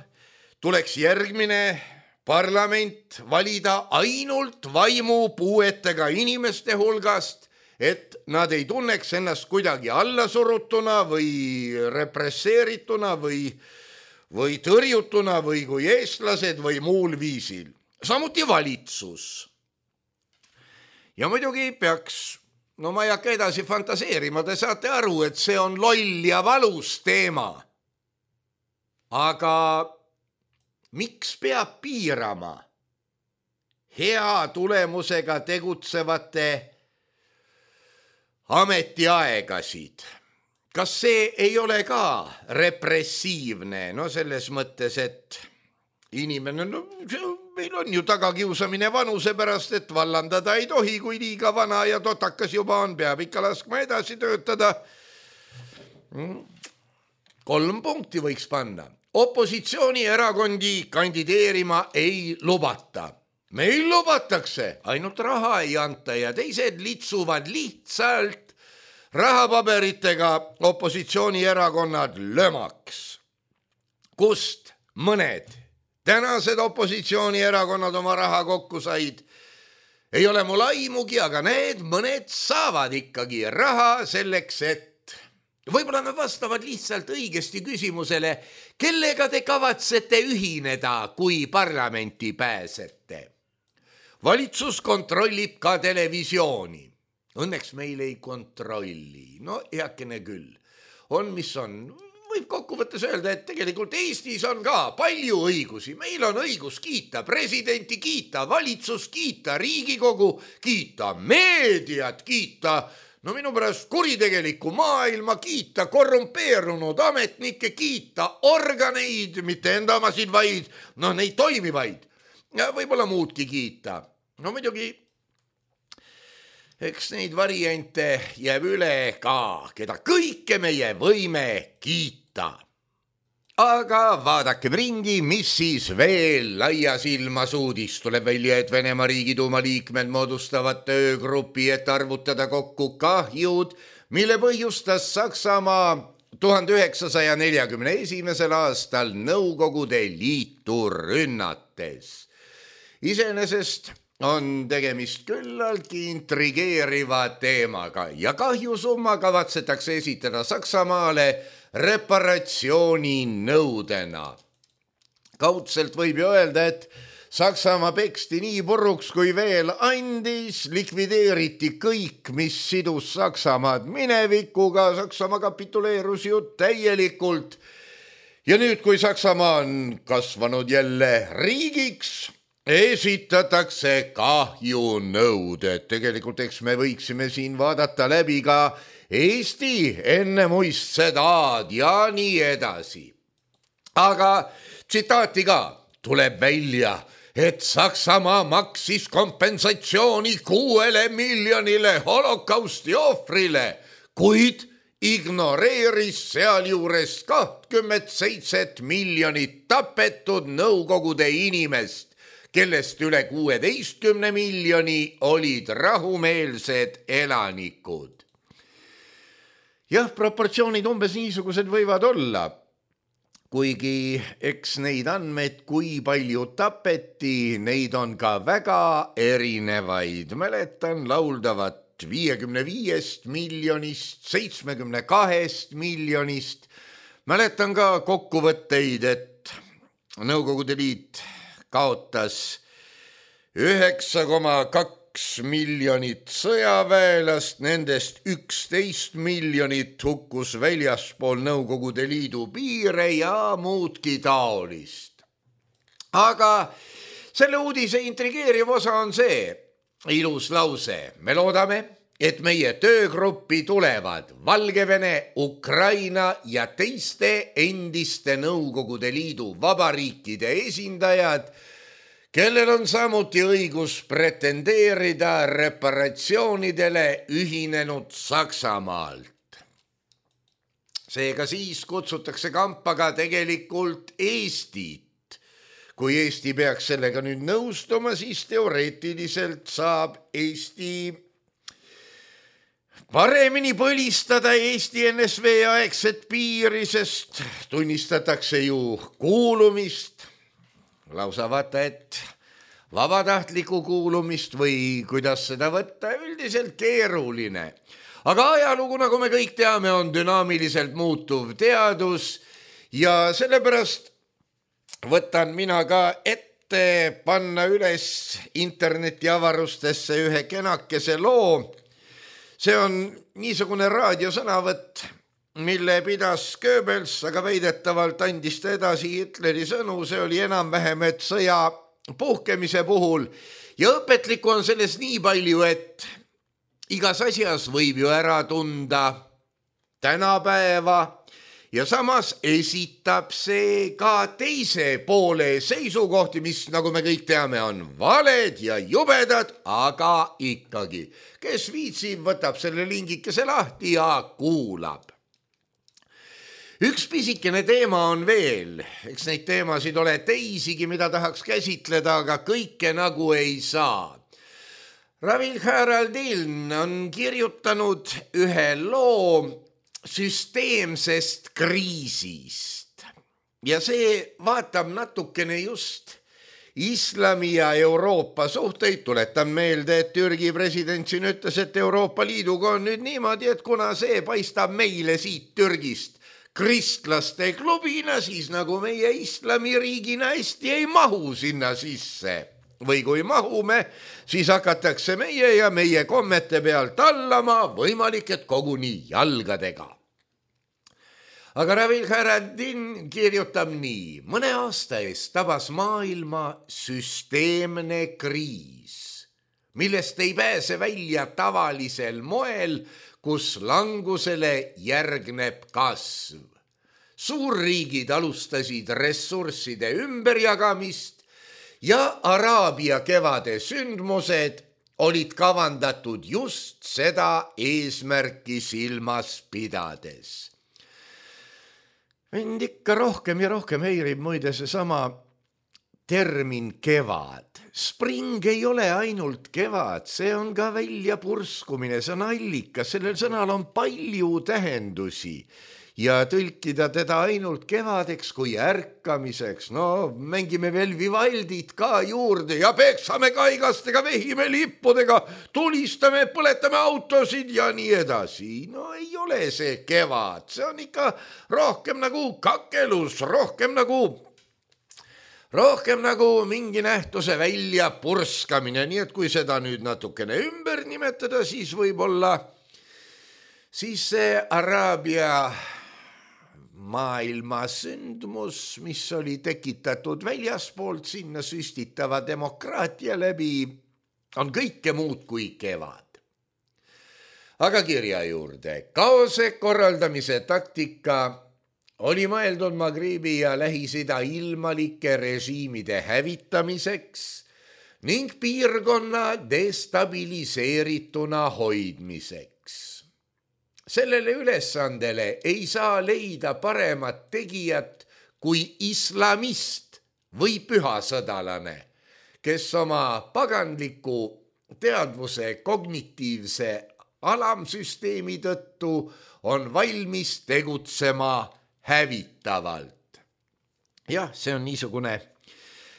tuleks järgmine parlament valida ainult vaimupuuetega inimeste hulgast, et nad ei tunneks ennast kuidagi allasurutuna või represseerituna või tõrjutuna või kui eestlased või muul viisil. Samuti valitsus. Ja muidugi peaks, ma ei hakka edasi fantaseerima, te saate aru, et see on loll ja valus teema. Aga miks peab piirama hea tulemusega tegutsevate ametiaegasid? Kas see ei ole ka repressiivne? Selles mõttes, et inimene, meil on ju tagakiusamine vanuse pärast, et vallandada ei tohi, kui liiga vana ja totakas juba on, peab ikka laskma edasi töötada. 3 punkti võiks panna. Opositsioonierakondi kandideerima ei lubata. Meil lubatakse, ainult raha ei anta ja teised litsuvad lihtsalt rahapaberitega opositsioonierakonnad lömaks. Kust mõned tänased opositsioonierakonnad oma raha kokku said? Ei ole mul aimugi, aga need mõned saavad ikkagi raha selleks, et võib-olla nad vastavad lihtsalt õigesti küsimusele, kellega te kavatsete ühineda, kui parlamenti pääsete. Valitsus kontrollib ka televisiooni. Õnneks meil ei kontrolli. Heakene küll. On, mis on. Võib kokkuvõttes öelda, et tegelikult Eestis on ka palju õigusi. Meil on õigus kiita presidenti, kiita valitsus, kiita Riigikogu, kiita meediat, kiita minu pärast kuritegelikku maailma, kiita korrumpeerunud ametnikke, kiita organeid, mitte enda omasid, vaid neid toimivaid. Ja võib-olla muudki kiita. Muidugi, eks neid variante jääb üle ka, keda kõike meie võime kiita. Aga vaadakem ringi, mis siis veel laias ilmas uudis. Tuleb välja, et Venemaa Riigiduuma liikmed moodustavad töögrupi, et arvutada kokku kahjud, mille põhjustas Saksamaa 1941. aastal Nõukogude Liitu rünnates. Iseenesest on tegemist küllaltki intrigeeriva teemaga ja kahjusumma kavatsetakse esitada Saksamaale reparatsiooninõudena. Kaudselt võib ju öelda, et Saksamaa peksti nii puruks kui veel andis, likvideeriti kõik, mis sidus Saksamaad minevikuga, Saksamaa kapituleerus ju täielikult. Ja nüüd, kui Saksamaa on kasvanud jälle riigiks, esitatakse kahjunõuded. Tegelikult eks me võiksime siin vaadata läbi ka Eesti enne muist sedaad ja nii edasi. Aga tsitaati ka tuleb välja, et Saksamaa maksis kompensatsiooni 6 miljonile holokausti ohvrile, kuid ignoreeris sealjuures 27 miljonit tapetud Nõukogude inimest, kellest üle 16 miljoni olid rahumeelsed elanikud. Jah, proportsioonid umbes niisugused võivad olla, kuigi eks neid andmeid, kui palju tapeti, neid on ka väga erinevaid. Mäletan lauldavat 55 miljonist, 72 miljonist. Mäletan ka kokkuvõtteid, et Nõukogude Liit kaotas 9,2 miljonit sõjaväelast, nendest 11 miljonit hukkus väljaspool Nõukogude Liidu piire ja muudki taolist. Aga selle uudise intrigeeriv osa on see ilus lause. Me loodame, et meie töögruppi tulevad Valgevene, Ukraina ja teiste endiste Nõukogude Liidu vabariikide esindajad, kellel on samuti õigus pretendeerida reparatsioonidele ühinenud Saksamaalt. Seega siis kutsutakse kampa ka tegelikult Eestit. Kui Eesti peaks sellega nüüd nõustuma, siis teoreetiliselt saab Eesti paremini põlistada Eesti NSV aegset piiri, sest tunnistatakse ju kuulumist, lausa vaata, et vabatahtliku kuulumist või kuidas seda võtta, üldiselt keeruline. Aga ajalugu, nagu me kõik teame, on dünaamiliselt muutuv teadus ja sellepärast võtan mina ka ette panna üles internetiavarustesse ühe kenakese loo. See on niisugune raadiosõnavõtt, mille pidas Goebbels, aga väidetavalt andis ta edasi Hitleri sõnu. See oli enam-vähem, et sõja puhkemise puhul. Ja õpetlikku on selles nii palju, et igas asjas võib ju ära tunda tänapäeva ja samas esitab see ka teise poole seisukohti, mis, nagu me kõik teame, on valed ja jubedad, aga ikkagi. Kes viitsib, võtab selle lingikese lahti ja kuulab. Üks pisikene teema on veel, eks neid teemasid ole teisigi, mida tahaks käsitleda, aga kõike nagu ei saa. Ravil Haraldin on kirjutanud ühe loo süsteemsest kriisist ja see vaatab natukene just Islami ja Euroopa suhteid. Tuletan meelde, et Türgi president siin ütles, et Euroopa Liiduga on nüüd niimoodi, et kuna see paistab meile siit Türgist kristlaste klubina, siis nagu meie islamiriigina hästi ei mahu sinna sisse. Või kui mahume, siis hakatakse meie ja meie kommete pealt tallama, võimalik, et koguni jalgadega. Aga Ravil Haraldin kirjutab nii. Mõne aasta eest tabas maailma süsteemne kriis, millest ei pääse välja tavalisel moel, kus langusele järgneb kasv. Suurriigid alustasid ressursside ümberjagamist ja Araabia kevade sündmused olid kavandatud just seda eesmärki silmas pidades. Mind ikka rohkem ja rohkem häirib muide seesama termin kevad. Spring ei ole ainult kevad, see on ka väljapurskumine, see on allikas, sellel sõnal on palju tähendusi. ja tõlkida teda ainult kevadeks kui ärkamiseks. No mängime veel Vivaldit ka juurde ja peksame kaigastega, vehime lippudega, tulistame, põletame autosid ja nii edasi. No ei ole see kevad, see on ikka rohkem nagu kakelus, rohkem nagu mingi nähtuse välja purskamine, nii et kui seda nüüd natukene ümber nimetada, siis võib-olla see Araabia maailma sündmus, mis oli tekitatud väljaspoolt sinna süstitava demokraatia läbi, on kõike muud kui kevad. Aga kirja juurde. Kaose korraldamise taktika oli mõeldud Magribi ja Lähis-Ida ilmalike režiimide hävitamiseks ning piirkonna destabiliseerituna hoidmiseks. Sellele ülesandele ei saa leida paremat tegijat kui islamist või pühasõdalane, kes oma paganliku teadvuse kognitiivse alamsüsteemi tõttu on valmis tegutsema hävitavalt. Jah, see on niisugune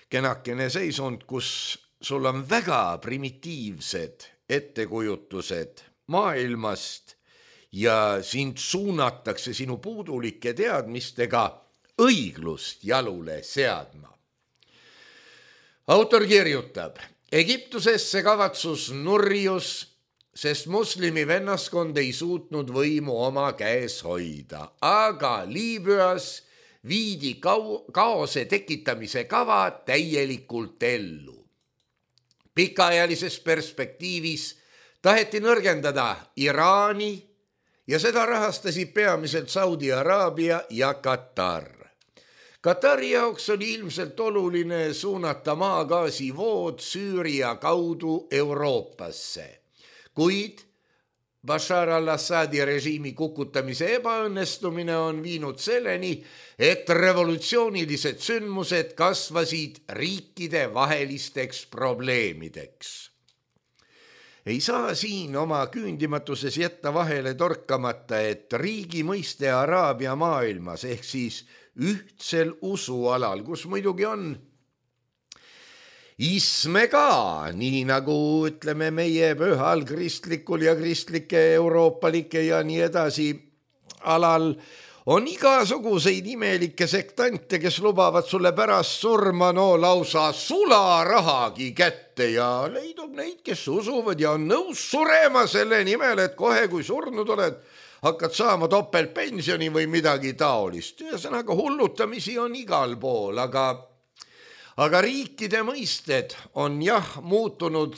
kenakene seisund, kus sul on väga primitiivsed ettekujutused maailmast ja sind suunatakse sinu puudulike teadmistega õiglust jalule seadma. Autor kirjutab, Egiptusesse kavatsus nurjus, sest moslimi vennaskond ei suutnud võimu oma käes hoida, aga Liibüas viidi kaose tekitamise kava täielikult ellu. Pikaajalises perspektiivis taheti nõrgendada Iraani ja seda rahastasid peamiselt Saudi Araabia ja Katar. Katari jaoks oli ilmselt oluline suunata maagaasivood Süüria kaudu Euroopasse, kuid Bashar al-Assadi režiimi kukutamise ebaõnnestumine on viinud selleni, et revolutsioonilised sündmused kasvasid riikide vahelisteks probleemideks. Ei saa siin oma küündimatuses jätta vahele torkamata, et riigi mõiste Araabia maailmas ehk siis ühtsel usualal, kus muidugi on isme ka, nii nagu ütleme meie pühal kristlikul ja kristlike euroopalike ja nii edasi alal, on igasuguseid imelikke sektante, kes lubavad sulle pärast surma lausa sularahagi kätte ja leidub neid, kes usuvad ja on nõus surema selle nimel, et kohe kui surnud oled, hakkad saama topeltpensioni või midagi taolist. Ühesõnaga hullutamisi on igal pool, aga riikide mõisted on muutunud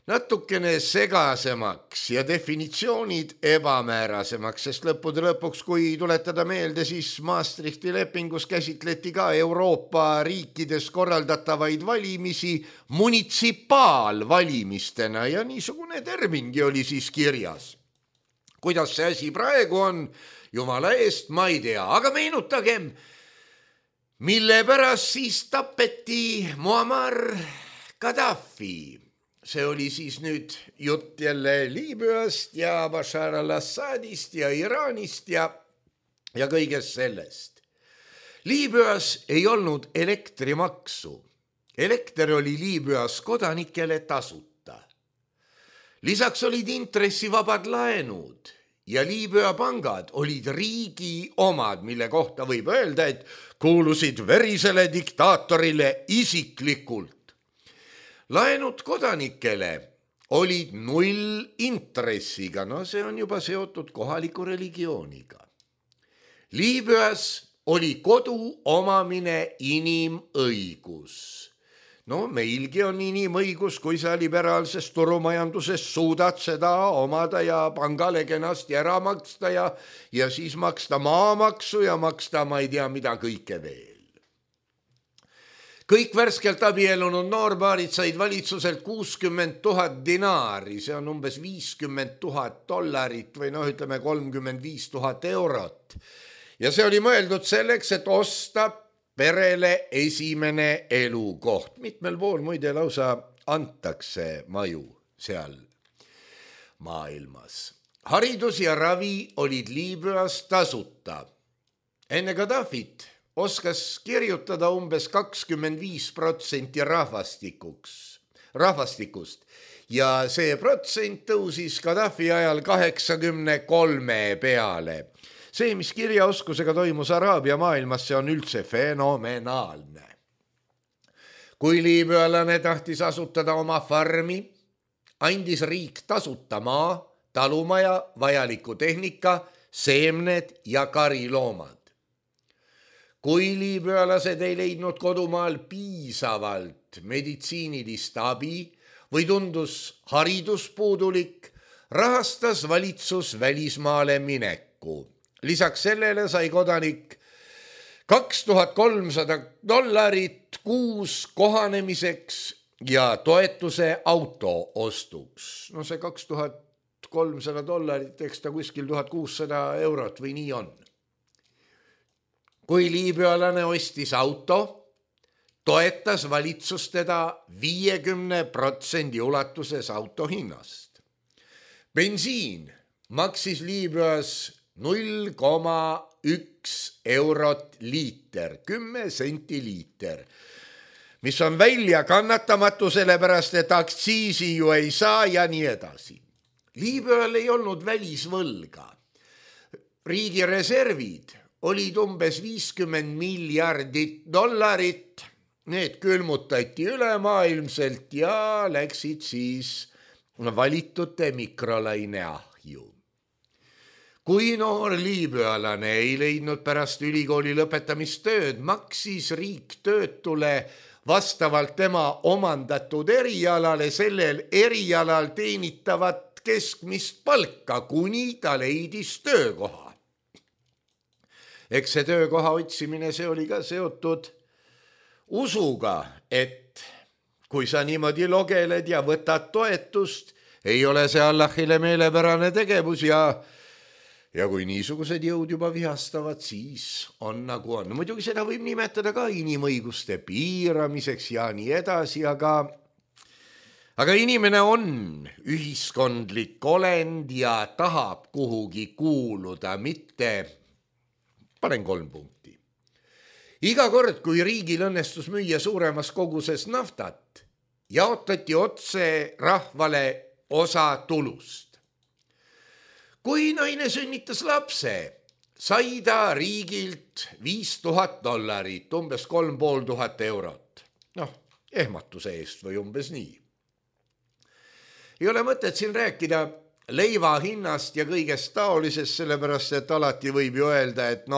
natukene segasemaks ja definitsioonid ebamäärasemaks, sest lõppude lõpuks, kui tuletada meelde, siis Maastrichti lepingus käsitleti ka Euroopa riikides korraldatavaid valimisi munitsipaalvalimistena ja niisugune termingi oli siis kirjas. Kuidas see asi praegu on, jumala eest, ma ei tea, aga meenutagem, mille pärast siis tapeti Muammar Gaddafi. See oli siis nüüd jutt jälle Liibüast ja Bashar al-Assadist ja Iraanist ja kõigest sellest. Liibüas ei olnud elektrimaksu. Elekter oli Liibüas kodanikele tasuta. Lisaks olid intressivabad laenud ja Liibüa pangad olid riigi omad, mille kohta võib öelda, et kuulusid verisele diktaatorile isiklikult. Laenud kodanikele olid 0 intressiga, see on juba seotud kohaliku religiooniga. Liibüas oli kodu omamine inimõigus. Meilgi on inimõigus, kui sa liberaalses turumajanduses suudad seda omada ja pangale kenasti ära maksta ja siis maksta maamaksu ja maksta ma ei tea mida kõike veel. Kõik värskelt abielunud noorbaarid said valitsuselt 60 000 dinaari, see on umbes $50 000 või ütleme 35 000 eurot. Ja see oli mõeldud selleks, et osta perele esimene elukoht. Mitmel pool muide lausa antakse maju seal maailmas. haridus ja ravi olid Liibüas tasuta. Enne Gaddafit oskas kirjutada umbes 25% rahvastikust ja see protsent tõusis Gaddafi ajal 83 peale. See, mis kirjaoskusega toimus Araabia maailmas, see on üldse fenomenaalne. Kui liibüalane tahtis asutada oma farmi, andis riik tasuta maa, talumaja, vajaliku tehnika, seemned ja kariloomad. Kui liibüalased ei leidnud kodumaal piisavalt meditsiinilist abi või tundus haridus puudulik, rahastas valitsus välismaale mineku. Lisaks sellele sai kodanik $2300 kuus kohanemiseks ja toetuse auto ostuks. No see $2300, eks ta kuskil 1600 eurot või nii on. Kui liibüalane ostis auto, toetas valitsus teda 50% ulatuses auto hinnast. Bensiin maksis Liibüas 0,1 eurot liiter, 10 senti liiter, mis on välja kannatamatu, sellepärast et aktsiisi ju ei saa ja nii edasi. Liibüal ei olnud välisvõlga. Riigi reservid olid umbes $50 miljardit. Need külmutati ülemaailmselt ja läksid siis valitute mikrolaine ahju. Kui noor liibüalane ei leidnud pärast ülikooli lõpetamist tööd, maksis riik töötule vastavalt tema omandatud erialale sellel erialal teenitavat keskmist palka, kuni ta leidis töökoha. Eks see töökoha otsimine, see oli ka seotud usuga, et kui sa niimoodi logeled ja võtad toetust, ei ole see Allahile meelepärane tegevus ja kui niisugused jõud juba vihastavad, siis on nagu on. Muidugi seda võib nimetada ka inimõiguste piiramiseks ja nii edasi, aga inimene on ühiskondlik olend ja tahab kuhugi kuuluda, mitte... Panen 3 punkti. Iga kord, kui riigil õnnestus müüa suuremas koguses naftat, jaotati otse rahvale osa tulust. Kui naine sünnitas lapse, sai ta riigilt $5000, umbes 3500 eurot. Ehmatuse eest või umbes nii. Ei ole mõtet siin rääkida leiva hinnast ja kõigest taolisest, sellepärast et alati võib ju öelda, et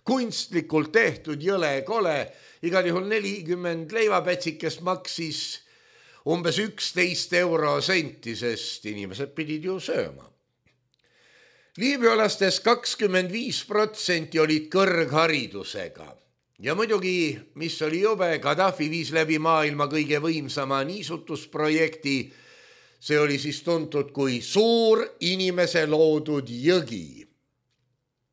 kunstlikult tehtud jõle kole, igal juhul 40 leivapätsikest maksis umbes 11 eurosenti, sest inimesed pidid ju sööma. Liibüalastest 25% olid kõrgharidusega ja muidugi, mis oli jube, Gaddafi viis läbi maailma kõige võimsama niisutusprojekti. See oli siis tuntud kui suur inimese loodud jõgi.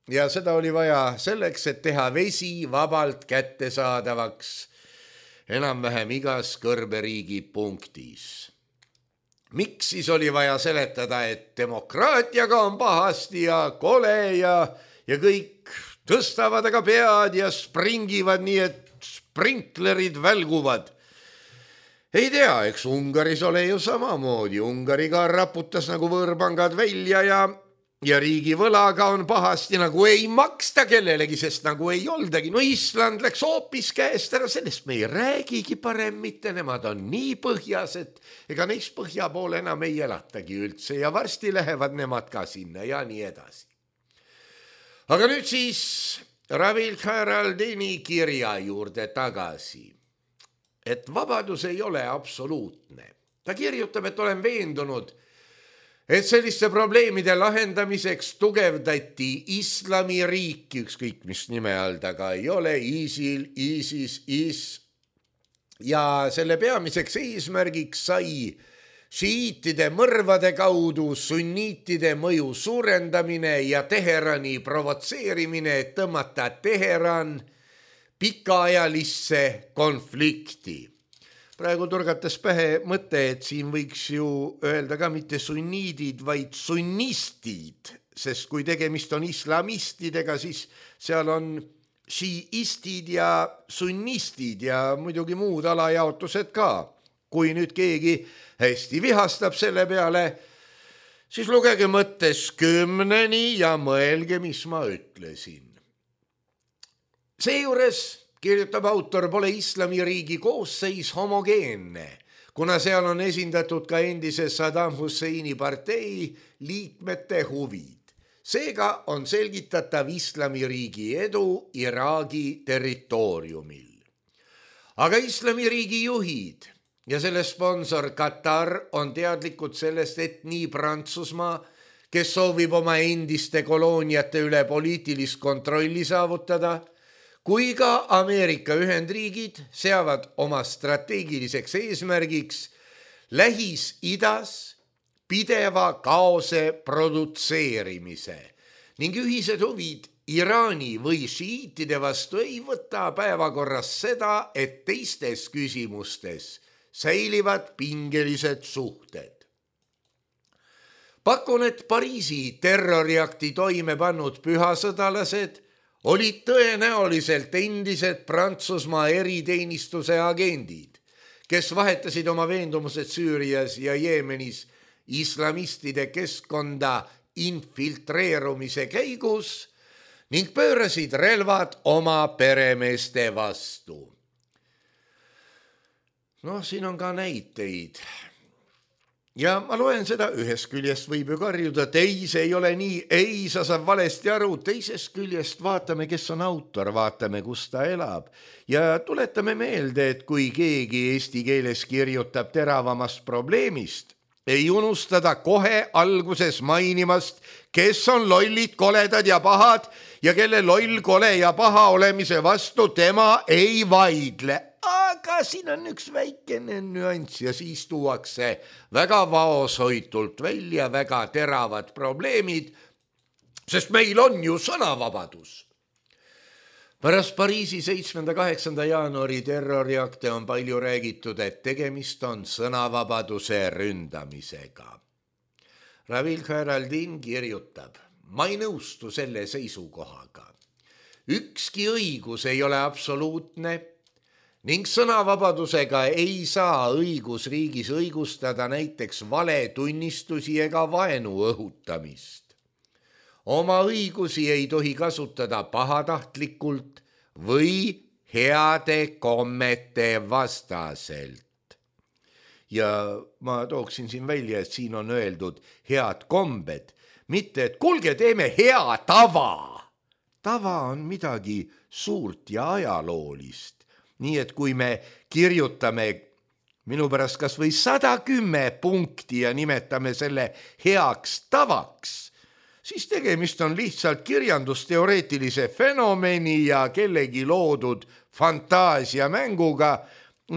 Ja seda oli vaja selleks, et teha vesi vabalt kättesaadavaks enam-vähem igas kõrberiigi punktis. Miks siis oli vaja seletada, et demokraatiaga on pahasti ja kole ja kõik tõstavad aga pead ja springivad nii, et sprinklerid välguvad? Ei tea, eks Ungaris ole ju samamoodi. Ungari ka raputas nagu võõrpangad välja ja riigi võlaga on pahasti, nagu ei maksta kellelegi, sest nagu ei oldagi. Island läks hoopis käest ära, sellest me ei räägigi parem mitte, nemad on nii põhjas, et ega neist põhja poole enam ei elatagi üldse ja varsti lähevad nemad ka sinna ja nii edasi. Aga nüüd siis Ravil Khairaldini kirja juurde tagasi. Et vabadus ei ole absoluutne. Ta kirjutab, et olen veendunud, et selliste probleemide lahendamiseks tugevdati islamiriiki, ükskõik mis nime all taga ei ole, ISIL, ISIS, ja selle peamiseks eesmärgiks sai šiiitide mõrvade kaudu sunniitide mõju suurendamine ja Teherani provotseerimine, et tõmmata Teheran pikaajalisse konflikti. praegu turgates pähe mõte, et siin võiks ju öelda ka mitte sunniidid, vaid sunnistid, sest kui tegemist on islamistidega, siis seal on šiistid ja sunnistid ja muidugi muud alajaotused ka. Kui nüüd keegi hästi vihastab selle peale, siis lugege mõttes 10 ja mõelge, mis ma ütlesin. Seejuures, kirjutab autor, pole islamiriigi koosseis homogeenne, kuna seal on esindatud ka endise Saddam Husseini partei liikmete huvid. Seega on selgitatav islamiriigi edu Iraagi territooriumil. Aga islamiriigi juhid ja selle sponsor Katar on teadlikud sellest, et nii Prantsusmaa, kes soovib oma endiste kolooniate üle poliitilist kontrolli saavutada, kui ka Ameerika Ühendriigid seavad oma strateegiliseks eesmärgiks Lähis-Idas pideva kaose produtseerimise ning ühised huvid Iraani või šiitide vastu ei võta päevakorras seda, et teistes küsimustes säilivad pingelised suhted. Pakun, et Pariisi terroriakti toime pannud pühasõdalased olid tõenäoliselt endised Prantsusmaa eriteenistuse agendid, kes vahetasid oma veendumused Süürias ja Jeemenis islamistide keskkonda infiltreerumise käigus ning pöörasid relvad oma peremeeste vastu. Siin on ka näiteid. Ja ma loen seda, ühest küljest võib ju karjuda, et ei, see ei ole nii, ei, sa saab valesti aru, teisest küljest vaatame, kes on autor, vaatame, kus ta elab ja tuletame meelde, et kui keegi eesti keeles kirjutab teravamast probleemist, ei unustada kohe alguses mainimast, kes on lollid, koledad ja pahad ja kelle loll, kole ja paha olemise vastu tema ei vaidle. Aga siin on üks väikene nüanss ja siis tuuakse väga vaoshoitult välja väga teravad probleemid, sest meil on ju sõnavabadus. Pärast Pariisi 7.–8. jaanuari terroriakte on palju räägitud, et tegemist on sõnavabaduse ründamisega. Ravil Khairaldin kirjutab, ma ei nõustu selle seisukohaga. Ükski õigus ei ole absoluutne ning sõnavabadusega ei saa õigusriigis õigustada näiteks valetunnistusi ega vaenu õhutamist. Oma õigusi ei tohi kasutada pahatahtlikult või heade kommete vastaselt. Ja ma tooksin siin välja, et siin on öeldud head kombed, mitte et kuulge, teeme hea tava. Tava on midagi suurt ja ajaloolist. Nii et kui me kirjutame minu pärast kas või 110 punkti ja nimetame selle heaks tavaks, siis tegemist on lihtsalt kirjandusteoreetilise fenomeni ja kellegi loodud fantaasiamänguga,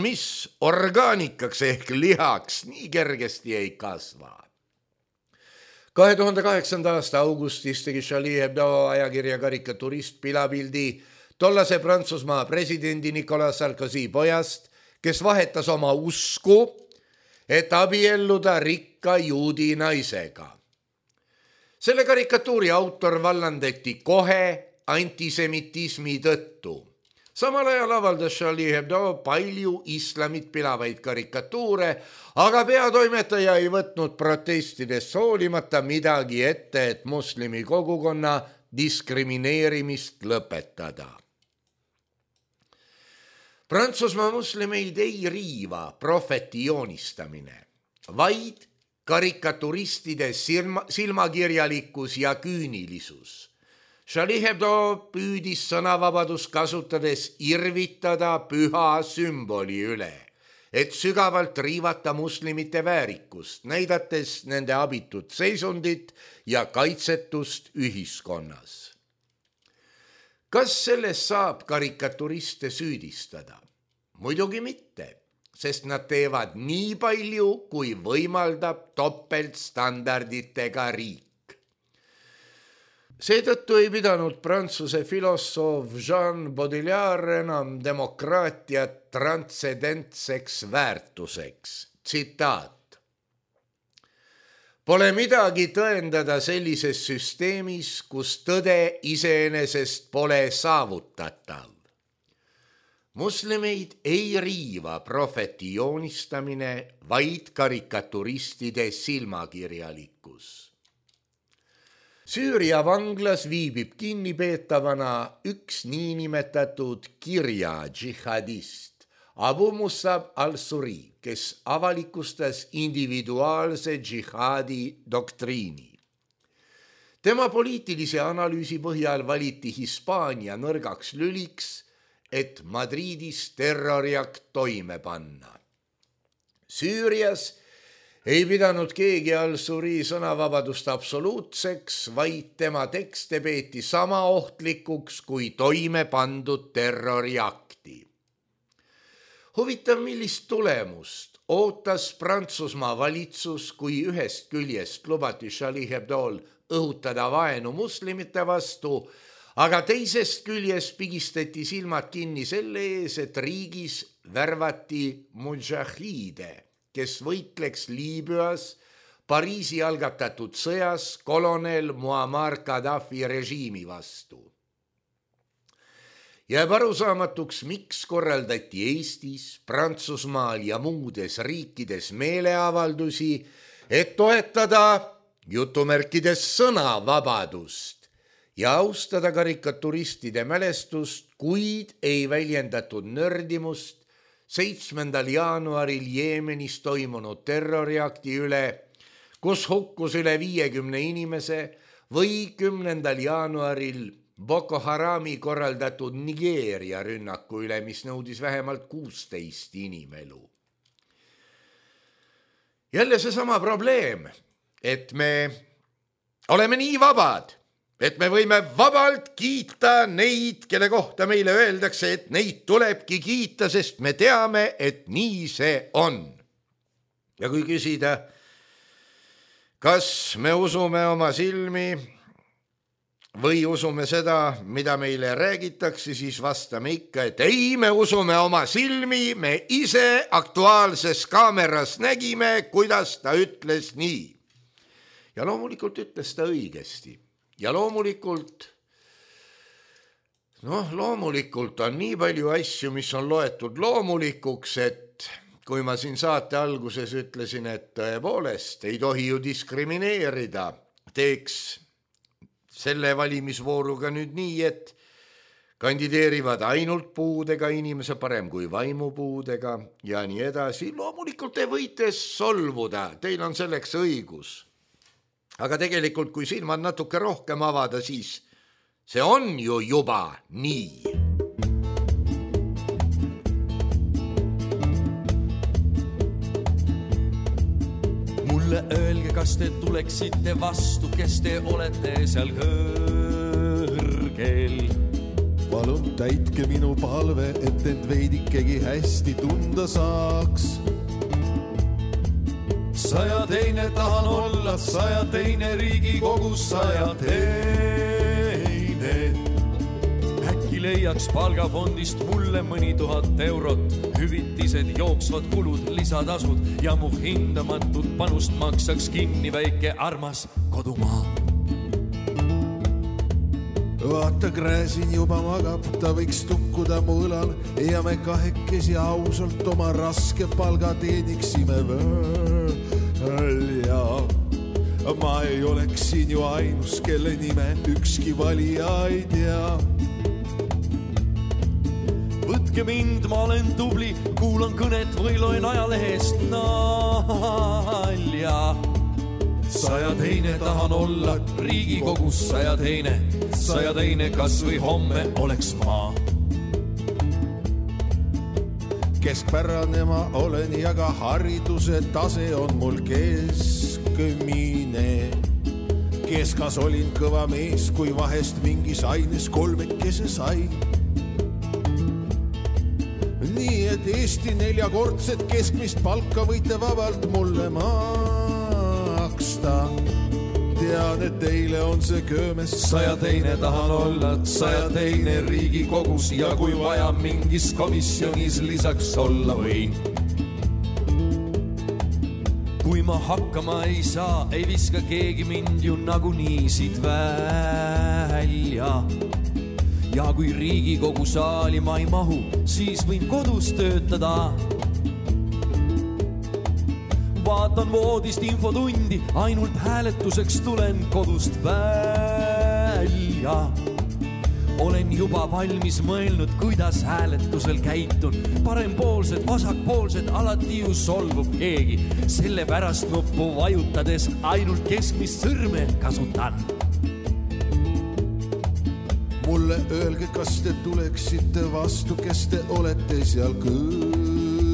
mis orgaanikaks ehk lihaks nii kergesti ei kasva. 2008. aasta augustis tegi Charlie Hebdo ajakirja karikaturist pilapildi tollase Prantsusmaa presidendi Nicolas Sarkozy pojast, kes vahetas oma usku, et abielluda rikka juudi naisega. Selle karikatuuri autor vallandati kohe antisemitismi tõttu. Samal ajal avaldas Charlie Hebdo palju islamit pilavaid karikatuure, aga peatoimetaja ei võtnud protestidest hoolimata midagi ette, et moslemi kogukonna diskrimineerimist lõpetada. Prantsusmaa moslemeid ei riiva prohveti joonistamine, vaid karikaturistide silmakirjalikkus ja küünilisus. Charlie Hebdo püüdis sõnavabadust kasutades irvitada püha sümboli üle, et sügavalt riivata muslimite väärikust, näidates nende abitut seisundit ja kaitsetust ühiskonnas. Kas sellest saab karikaturiste süüdistada? Muidugi mitte, sest nad teevad nii palju, kui võimaldab topeltstandarditega riik. Seetõttu ei pidanud Prantsuse filosoof Jean Baudrillard enam demokraatiat transcendentseks väärtuseks. Tsitaat. Pole midagi tõendada sellises süsteemis, kus tõde iseenesest pole saavutatav. Moslemeid ei riiva prohveti joonistamine, vaid karikaturistide silmakirjalikkus. Süüria vanglas viibib kinnipeetavana üks niinimetatud kirja džihadist Abu Musab al-Suri, kes avalikustas individuaalse džihaadi doktriini. Tema poliitilise analüüsi põhjal valiti Hispaania nõrgaks lüliks, et Madridis terroriakt toime panna. Süürias ei pidanud keegi al-Suri sõnavabadust absoluutseks, vaid tema tekste peeti sama ohtlikuks kui toime pandud terroriakti. Huvitav, millist tulemust ootas Prantsusmaa valitsus, kui ühest küljest lubati Charlie Hebdo'l õhutada vaenu muslimite vastu, aga teisest küljest pigistati silmad kinni selle ees, et riigis värvati mudžahiide, kes võitleks Liibüas Pariisi algatatud sõjas kolonel Muammar Gaddafi režiimi vastu. Jääb arusaamatuks, miks korraldati Eestis, Prantsusmaal ja muudes riikides meeleavaldusi, et toetada jutumärkides sõnavabadust ja austada karikaturistide mälestust, kuid ei väljendatud nördimust 7. jaanuaril Jeemenis toimunud terroriakti üle, kus hukkus üle 50 inimese, või 10. jaanuaril Boko Harami korraldatud Nigeeria rünnaku üle, mis nõudis vähemalt 16 inimelu. Jälle seesama probleem, et me oleme nii vabad, et me võime vabalt kiita neid, kelle kohta meile öeldakse, et neid tulebki kiita, sest me teame, et nii see on. Ja kui küsida, kas me usume oma silmi või usume seda, mida meile räägitakse, siis vastame ikka, et ei, me usume oma silmi, me ise Aktuaalses Kaameras nägime, kuidas ta ütles nii. Ja loomulikult ütles ta õigesti. Ja loomulikult on nii palju asju, mis on loetud loomulikuks, et kui ma siin saate alguses ütlesin, et tõepoolest ei tohi ju diskrimineerida, teeks selle valimisvooruga nüüd nii, et kandideerivad ainult puudega inimese, parem kui vaimupuudega ja nii edasi. Loomulikult te võite solvuda, teil on selleks õigus. Aga tegelikult, kui silmad natuke rohkem avada, siis see on ju juba nii. Mulle öelge, kas te tuleksite vastu, kes te olete seal kõrgel. Palun täitke minu palve, et end veidikegi hästi tunda saaks. 102 tahan olla, 102 Riigikogus, 102. Äkki leiaks palgafondist mulle mõni 1000 eurot, hüvitised, jooksvad kulud, lisatasud ja mu hindamatut panust maksaks kinni väike armas kodumaa. Vaata, Gräzin juba magab, ta võiks tukkuda mu õlal ja me kahekesi ausalt oma raske palga teeniksime välja. Ma ei oleks siin ju ainus, kelle nime ükski valija ei tea. Võtke mind, ma olen tubli, kuulan kõnet või loen ajalehest nalja. 102 tahan olla Riigikogus, 102, kas või homme oleks ma. Keskpärane ma olen ja ka hariduse tase on mul keskmine. Keskas olin kõva mees, kui vahest mingis aines kolmekese sai. Nii et Eesti 4-kordset keskmist palka võite vabalt mulle maksta. Te tean, et teile on see köömes. 102 tahan olla 102 Riigikogus ja kui vaja mingis komisjonis lisaks olla võin. Kui ma hakkama ei saa, ei viska keegi mind ju nagunii siit välja. Ja kui Riigikogu saali ma ei mahu, siis võin kodus töötada. Vaatan voodist infotundi, ainult hääletuseks tulen kodust välja. Olen juba valmis mõelnud, kuidas hääletusel käitun. Parempoolsed, vasakpoolsed, alati ju solvub keegi. Selle pärast nuppu vajutades ainult keskmist sõrme kasutan. Mulle öelge, kas te tuleksite vastu, kes te olete seal kõrgel.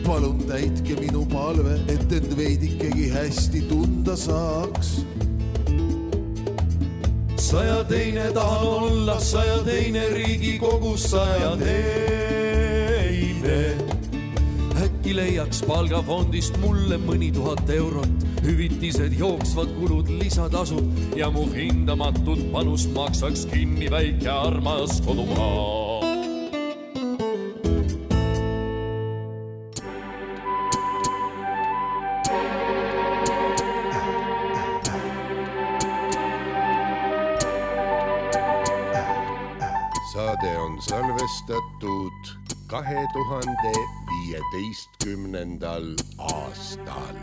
Palun täitke minu palve, et end veidikegi hästi tunda saaks. 102 tahan olla 102 Riigikogus 102. Äkki leiaks palgafondist mulle mõni 1000 eurot. Hüvitised, jooksvad kulud, lisatasud ja mu hindamatut panust maksaks kinni väike armas kodumaa. Saade on salvestatud 2015. aastal.